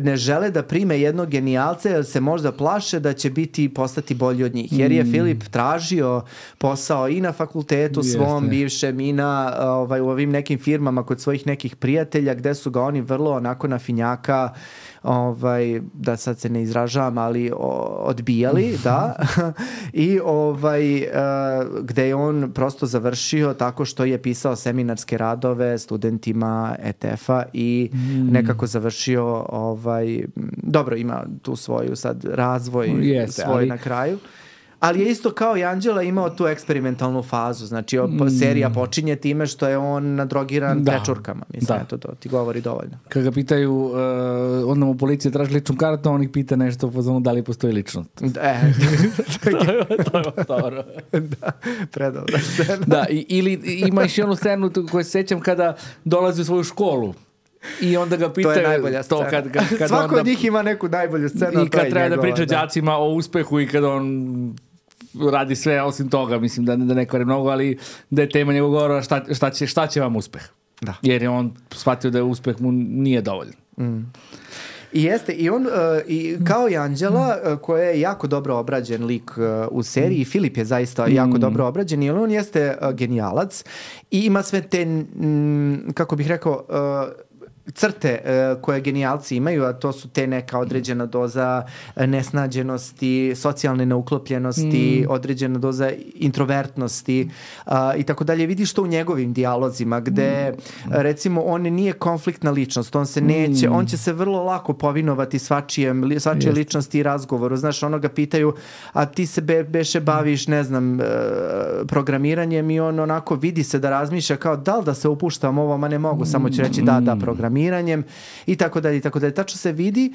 ne žele da prime jednog genijalca jer se možda plaše da će postati bolji od njih. Jer je Filip tražio posao i na fakultetu svom bivšem i u ovim nekim firmama kod svojih nekih prijatelja gde su ga oni vrlo onako na finjaka, da sad se ne izražavam, ali odbijali, da. I gde je on prosto završio tako što je pisao seminarske radove studentima ETF-a i nekako završio dobro, ima tu svoju sad razvoj svoj na kraju. Ali je isto kao i Anđela imao tu eksperimentalnu fazu. Znači, serija počinje time što je on nadrogiran prečurkama. Mislim, to ti govori dovoljno. Kad ga pitaju, onda mu policija traži ličnu kartu, on ih pita nešto u fazonu da li postoji ličnost. To je dobro. Da, predobra scena. Da, ili ima još jednu scenu koju se sećam kada dolazi u svoju školu. I onda ga pitaju... To je najbolja scena. Svako od njih ima neku najbolju scenu. I kad treba da priča đacima o uspehu i kada on radi sve osim toga, mislim da ne kvare mnogo, ali da je tema njegov govora šta će vam uspeh. Da. Jer je on shvatio da uspeh mu nije dovoljan. I jeste, i on, i kao i Anđela, koja je jako dobro obrađen lik u seriji, Filip je zaista jako dobro obrađen, jer on jeste genijalac i ima sve te, kako bih rekao, crte koje genijalci imaju, a to su te neka određena doza nesnađenosti, socijalne neuklopljenosti, određena doza introvertnosti i tako dalje. Vidiš to u njegovim dijalozima gde recimo on nije konfliktna ličnost, on se neće, on će se vrlo lako povinovati svačije ličnosti i razgovoru. Znaš, ono ga pitaju, a ti se beše baviš, ne znam, programiranjem i on onako vidi se da razmišlja kao da li da se upuštam ovo, ma ne mogu, samo ću reći da programiranjem i tako dalje, i tako dalje. Tačno se vidi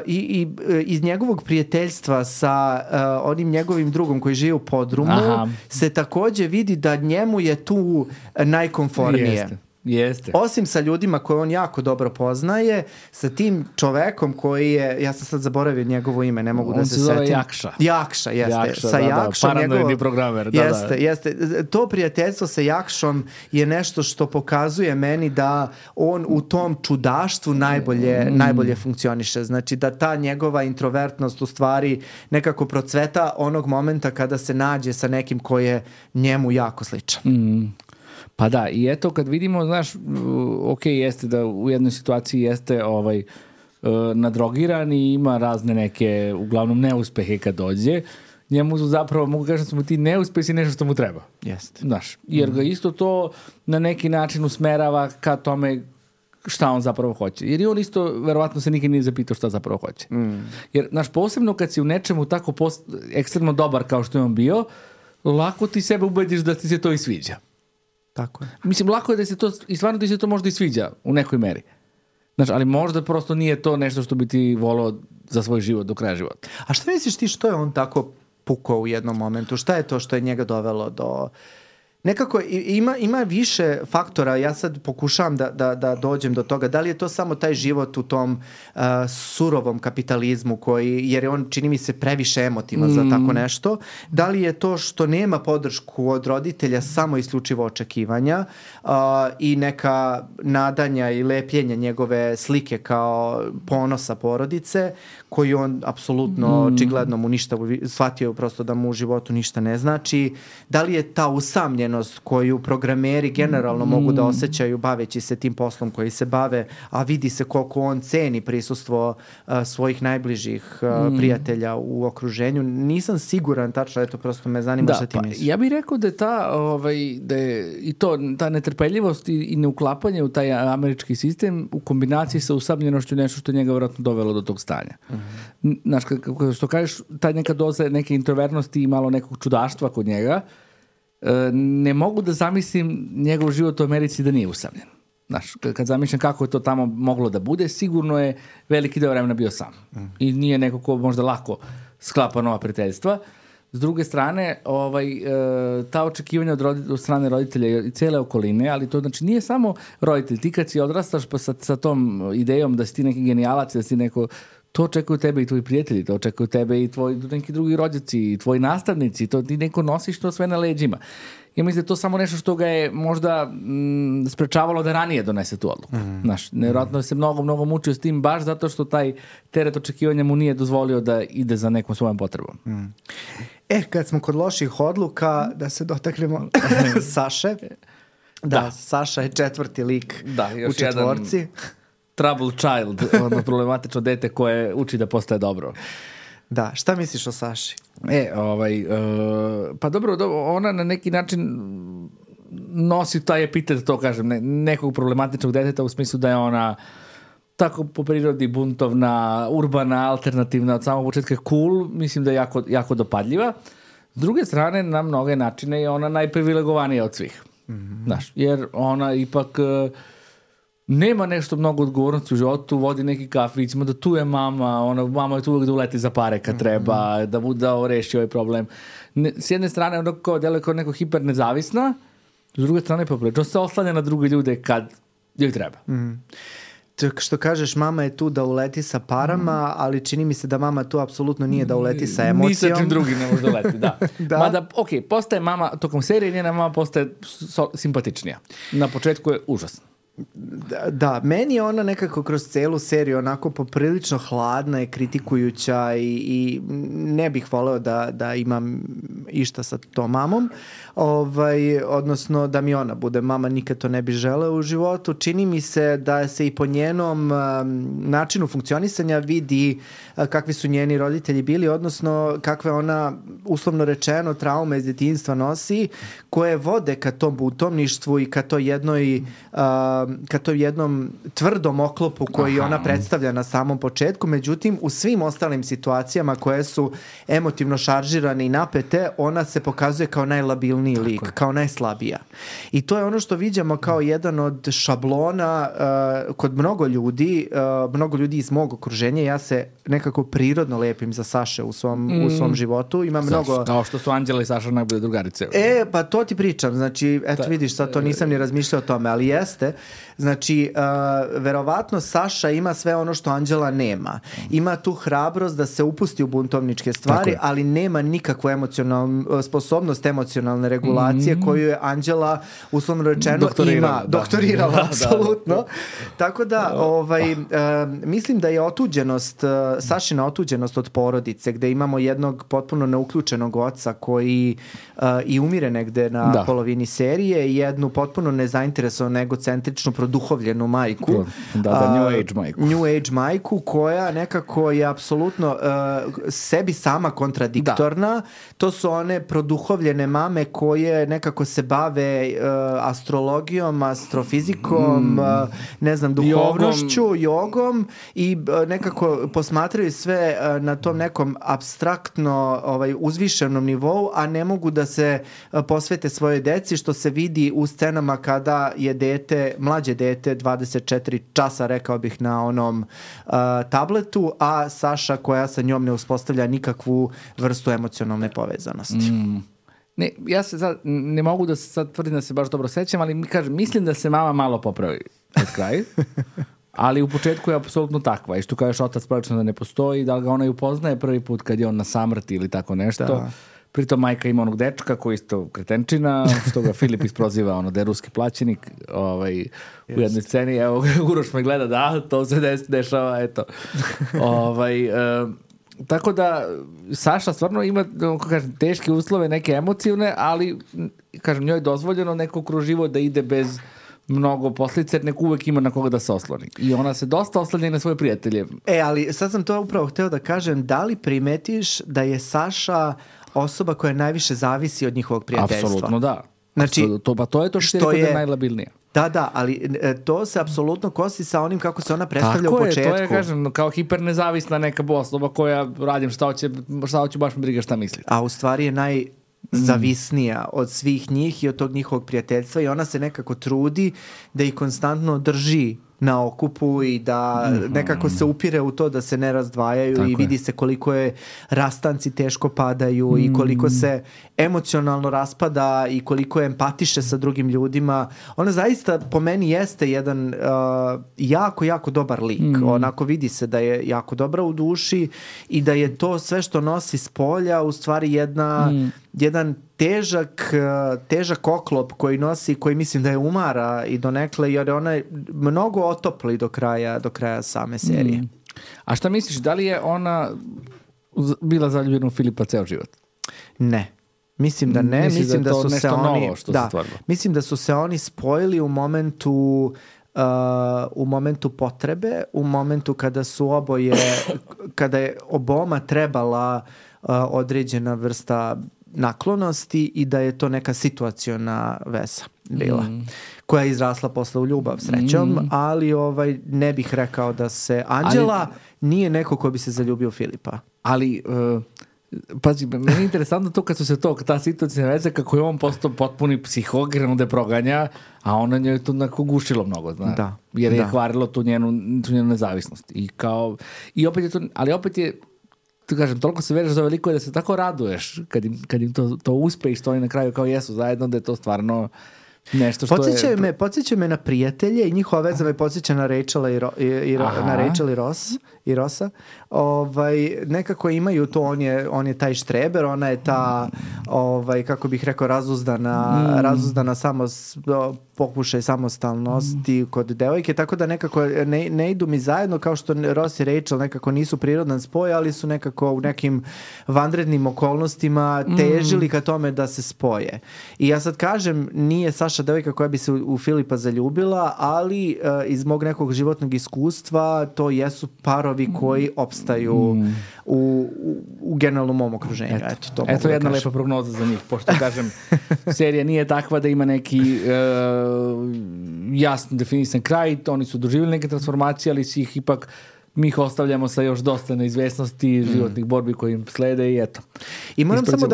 i iz njegovog prijateljstva sa onim njegovim drugom koji živi u podrumu se takođe vidi da njemu je tu najkomfornije. Jeste. Osim sa ljudima koje on jako dobro poznaje, sa tim čovekom koji je, ja sam sad zaboravio njegovo ime, ne mogu da se setim. On se zove Jakša. Jakša, jeste. Jakša, sa Jakšom, paranoidni programer. Jeste. To prijateljstvo sa Jakšom je nešto što pokazuje meni da on u tom čudaštvu najbolje funkcioniše. Znači da ta njegova introvertnost u stvari nekako procveta onog momenta kada se nađe sa nekim ko je njemu jako sličan. Pa da, i eto kad vidimo, znaš, ok, jeste da u jednoj situaciji jeste nadrogiran i ima razne neke, uglavnom neuspehe kad dođe, njemu su zapravo, mogu kažem, su mu ti neuspesi nešto što mu treba. Jeste. Znaš, jer ga isto to na neki način usmerava ka tome šta on zapravo hoće. Jer i on isto, verovatno se nikad nije zapitao šta zapravo hoće. Jer, znaš, posebno kad si u nečemu tako ekstremno dobar kao što je on bio, lako ti sebe ubediš da ti se to i sviđa. Tako je. Mislim, lako je da se to, i stvarno ti se to možda i sviđa u nekoj meri. Znaš, ali možda prosto nije to nešto što bi ti volao za svoj život do kraja života. A šta misliš ti što je on tako pukao u jednom momentu? Šta je to što je njega dovelo do... Nekako ima više faktora, ja sad pokušavam da dođem do toga, da li je to samo taj život u tom surovom kapitalizmu koji, jer je on čini mi se previše emotivan za tako nešto, da li je to što nema podršku od roditelja samo isključivo očekivanja i neka nadanja i lepljenja njegove slike kao ponosa porodice, koji on apsolutno očigledno mu ništa, shvatio prosto da mu u životu ništa ne znači, da li je ta usamljenost koju programeri generalno mogu da osjećaju baveći se tim poslom koji se bave, a vidi se koliko on ceni prisustvo svojih najbližih prijatelja u okruženju. Nisam siguran tačno, eto prosto me zanima šta ti misliš. Ja bih rekao da je da je i to, ta netrpeljivost i neuklapanje u taj američki sistem u kombinaciji sa usamljenošću nešto što je njega vjerojatno dovelo do tog stanja. Znaš, što kažeš, taj neka doza neke introvertnosti i malo nekog čudaštva kod njega, ne mogu da zamislim njegov život u Americi da nije usamljen. Znaš, kad zamišljam kako je to tamo moglo da bude, sigurno je veliki deo vremena bio sam. I nije neko ko možda lako sklapa nova prijateljstva. S druge strane, ta očekivanja od strane roditelja i cele okoline, ali to znači nije samo roditelj. Ti kad si odrastaš pa sa tom idejom da si ti neki genijalac, da si neko... To očekuju tebe i tvoji prijatelji, to očekuju tebe i tvoji neki drugi rođaci, i tvoji nastavnici, to ti neko nosiš to sve na leđima. Ja mislim da je to samo nešto što ga je možda sprečavalo da ranije donese tu odluku. Znaš, nevjerojatno se mnogo mučio s tim baš zato što taj teret očekivanja mu nije dozvolio da ide za nekom svojom potrebom. Kad smo kod loših odluka, da se dotaknemo Saše. Da, Saša je četvrti lik u četvorci. Trouble child, problematično dete koje uči da postaje dobro. Da, šta misliš o Saši? Pa dobro, ona na neki način nosi taj epitet, to kažem, nekog problematičnog deteta u smislu da je ona tako po prirodi buntovna, urbana, alternativna, od samog početka cool, mislim da je jako dopadljiva. S druge strane, na mnoge načine je ona najprivilegovanija od svih. Znaš, jer ona ipak... nema nešto mnogo odgovornosti u životu, vodi neki kafić, da tu je mama, mama je tu uvijek da uleti za pare kad treba, da reši ovaj problem. S jedne strane ona deluje kao neko hiper nezavisna, s druge strane poprilično se oslanja na druge ljude kad joj treba. Što kažeš, mama je tu da uleti sa parama, ali čini mi se da mama tu apsolutno nije da uleti sa emocijom. Ni sa čim drugim ne može da uleti, da. Mada, postaje mama, tokom serije njena mama postaje simpatičnija. Na početku je užasno. Da, meni je ona nekako kroz celu seriju onako poprilično hladna i kritikujuća i ne bih voleo da imam išta sa tom mamom, odnosno da mi ona bude mama, nikad to ne bi želeo u životu. Čini mi se da se i po njenom načinu funkcionisanja vidi kakvi su njeni roditelji bili, odnosno kakve ona, uslovno rečeno, traume iz djetinjstva nosi, koje vode ka tom butomništvu i ka to jednom tvrdom oklopu koji ona predstavlja na samom početku. Međutim, u svim ostalim situacijama koje su emotivno šaržirane i napete, ona se pokazuje kao najlabilniji lik, kao najslabija. I to je ono što viđamo kao jedan od šablona kod mnogo ljudi iz mog okruženja. Ja se nekako prirodno lepim za Saše u svom životu. Ima mnogo... Kao što su Anđela i Saša najbolje drugarice. Pa to ti pričam. Znači, eto vidiš, sad to nisam ni razmišljao o tome, ali jeste. Znači, verovatno Saša ima sve ono što Anđela nema. Ima tu hrabrost da se upusti u buntovničke stvari, ali nema nikakvu sposobnost emocionalne regulacije koju je Anđela, uslovno rečeno, doktorirala, apsolutno. Tako da, mislim da je Sašina otuđenost od porodice, gde imamo jednog potpuno neuključenog oca koji i umire negde na polovini serije, jednu potpuno nezainteresovanu, egocentričnu, produhovljenu majku. New age majku koja nekako je apsolutno sebi sama kontradiktorna. To su one produhovljene mame koje nekako se bave astrologijom, astrofizikom, ne znam, duhovnošću, jogom i nekako posmatraju sve na tom nekom apstraktno uzvišenom nivou, a ne mogu da se posvete svojoj deci, što se vidi u scenama kada je mlađe dete 24 časa, rekao bih, na onom tabletu, a Saša koja sa njom ne uspostavlja nikakvu vrstu emocionalne povezanosti. Ne, ja se sad, ne mogu da se sad tvrdim da se baš dobro sećam, ali mislim da se mama malo popravi od kraja. Ali u početku je apsolutno takva. I što kažeš, otac praktično da ne postoji, da li ga ona i upoznaje prvi put kad je on na samrti ili tako nešto. Da. Pritom majka ima onog dečka koji isto kretenčina, što ga Filip isproziva, da je ruski plaćenik u jednoj sceni. Evo, Uroš me gleda, to se dešava, eto. Tako da Saša stvarno ima, teške uslove, neke emotivne, ali, njoj je dozvoljeno neko kroz život da ide bez mnogo posljedica, jer neko uvek ima na koga da se osloni. I ona se dosta oslanja na svoje prijatelje. Ali sad sam to upravo hteo da kažem, da li primetiš da je Saša osoba koja najviše zavisi od njihovog prijateljstva? Apsolutno da. Znači, to je to što je najlabilnije. Da, ali to se apsolutno kosi sa onim kako se ona predstavlja u početku. Tako je, to je, kažem, kao hipernezavisna neka osoba koja radim šta hoće, baš me briga šta misli. A u stvari je najzavisnija od svih njih i od tog njihovog prijateljstva i ona se nekako trudi da ih konstantno drži na okupu i da nekako se upire u to da se ne razdvajaju i vidi se koliko je rastanci teško padaju i koliko se emocionalno raspada i koliko je empatiše sa drugim ljudima. Ona zaista po meni jeste jedan jako, jako dobar lik. Onako vidi se da je jako dobra u duši i da je to sve što nosi s polja u stvari jedan težak oklop koji nosi, koji mislim da je umara i donekle, jer ona je mnogo otopli do kraja same serije. A šta misliš, da li je ona bila zaljubljena u Filipa ceo život? Ne. Mislim da ne. Mislim da su se oni... novo što se stvarilo. Mislim da su se oni spojili u momentu potrebe, u momentu kada je oboma trebala određena vrsta naklonosti i da je to neka situaciona veza bila, koja je izrasla posle u ljubav, srećom, ali ne bih rekao da se... Anđela nije neko ko bi se zaljubio u Filipa. Ali... Pazi, meni je interesantno to kad su se ta situacija veze, kako je on postao potpuni psihogran da je proganja, a ona njoj to onako gušilo mnogo, jer je kvarilo tu njenu nezavisnost. I opet je to, ali opet je, kažem, toliko se veriš za veliko je da se tako raduješ kad im to uspe i što oni na kraju kao jesu zajedno, da je to stvarno nešto što Podsjećaju me na prijatelje i njihova veza me podsjeća na Rachel i Ross. i Rosa, nekako imaju to, on je taj štreber, ona je ta, kako bih rekao, razuzdana pokušaj samostalnosti kod devojke, tako da nekako ne idu mi zajedno, kao što Ross i Rachel nekako nisu prirodan spoj, ali su nekako u nekim vanrednim okolnostima težili ka tome da se spoje. I ja sad kažem, nije Saša devojka koja bi se u Filipa zaljubila, ali iz mog nekog životnog iskustva to jesu parovi koji opstaju u generalnom mom okruženju. Eto jedna lepa prognoza za njih, pošto kažem, serija nije takva da ima neki jasno definisan kraj, oni su doživjeli neke transformacije, ali si ih ipak mi ih ostavljamo sa još dosta neizvesnosti, životnih borbi koji im slede i eto. I moram samo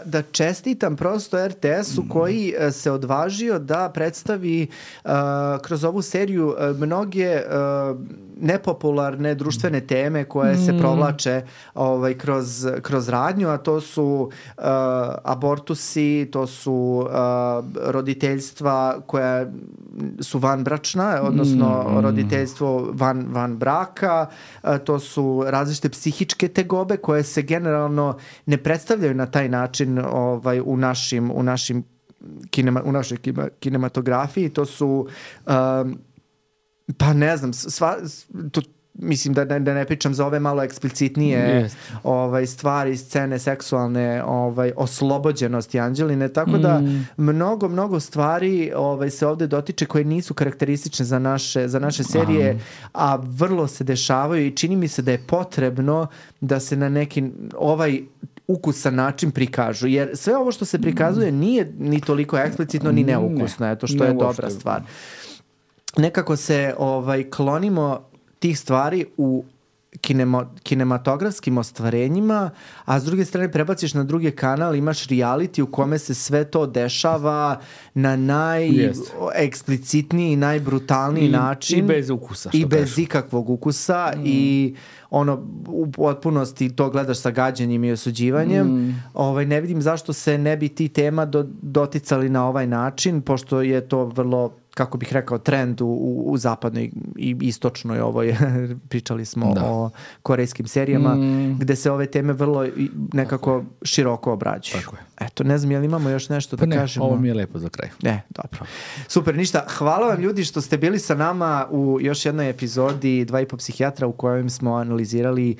da čestitam prosto RTS-u koji se odvažio da predstavi kroz ovu seriju mnoge nepopularne društvene teme koje se provlače kroz radnju, a to su abortusi, to su roditeljstva koja su vanbračna, odnosno roditeljstvo van braka, to su različite psihičke tegobe koje se generalno ne predstavljaju na taj način u našoj kinematografiji. To su pa ne znam, mislim da ne pričam za ove malo eksplicitnije stvari, scene seksualne, oslobođenosti Anđeline, tako da mnogo stvari se ovdje dotiče koje nisu karakteristične za naše serije, a vrlo se dešavaju i čini mi se da je potrebno da se na neki ukusan način prikažu, jer sve ovo što se prikazuje nije ni toliko eksplicitno ni neukusno, eto što je dobra stvar. Nekako se klonimo tih stvari u kinematografskim ostvarenjima, a s druge strane prebaciš na drugi kanal, imaš reality u kome se sve to dešava na najeksplicitniji i najbrutalniji način. I bez ukusa. I bez ikakvog ukusa i u potpunosti to gledaš sa gađenjem i osuđivanjem. Ne vidim zašto se ne bi ti tema doticali na ovaj način, pošto je to vrlo, kako bih rekao, trend u zapadnoj i istočnoj pričali smo o korejskim serijama, gde se ove teme vrlo nekako široko obrađuju. Tako je. Eto, ne znam, jel imamo još nešto da kažemo? Ovo mi je lepo za kraj. Dobro. Super, ništa. Hvala vam ljudi što ste bili sa nama u još jednoj epizodi 2,5 psihijatra u kojem smo analizirali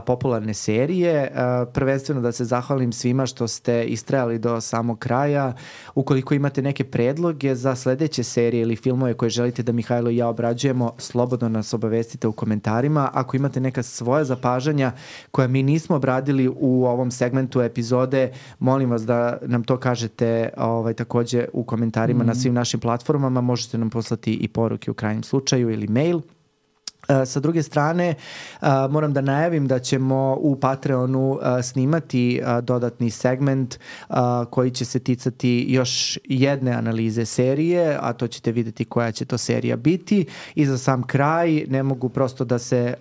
popularne serije. Prvenstveno da se zahvalim svima što ste istrajali do samog kraja. Ukoliko imate neke predloge za sledeće serije ili filmove koje želite da Mihajlo i ja obrađujemo, slobodno nas obavestite u komentarima. Ako imate neka svoja zapažanja koja mi nismo obradili u ovom segmentu epizode, molim vas da nam to kažete također u komentarima na svim našim platformama. Možete nam poslati i poruke u krajnjem slučaju ili mail. Sa druge strane, moram da najavim da ćemo u Patreonu snimati dodatni segment koji će se ticati još jedne analize serije, a to ćete vidjeti koja će to serija biti. I za sam kraj ne mogu prosto da se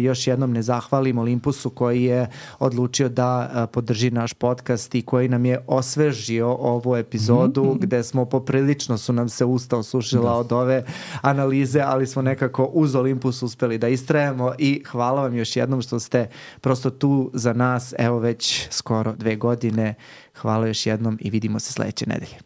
još jednom ne zahvalim Olympusu koji je odlučio da podrži naš podcast i koji nam je osvežio ovu epizodu gde smo poprilično su nam se usta osušila od ove analize, ali smo nekako uz Olympus uspeli da istrajemo i hvala vam još jednom što ste prosto tu za nas, evo već skoro 2 godine. Hvala još jednom i vidimo se sledeće nedelje.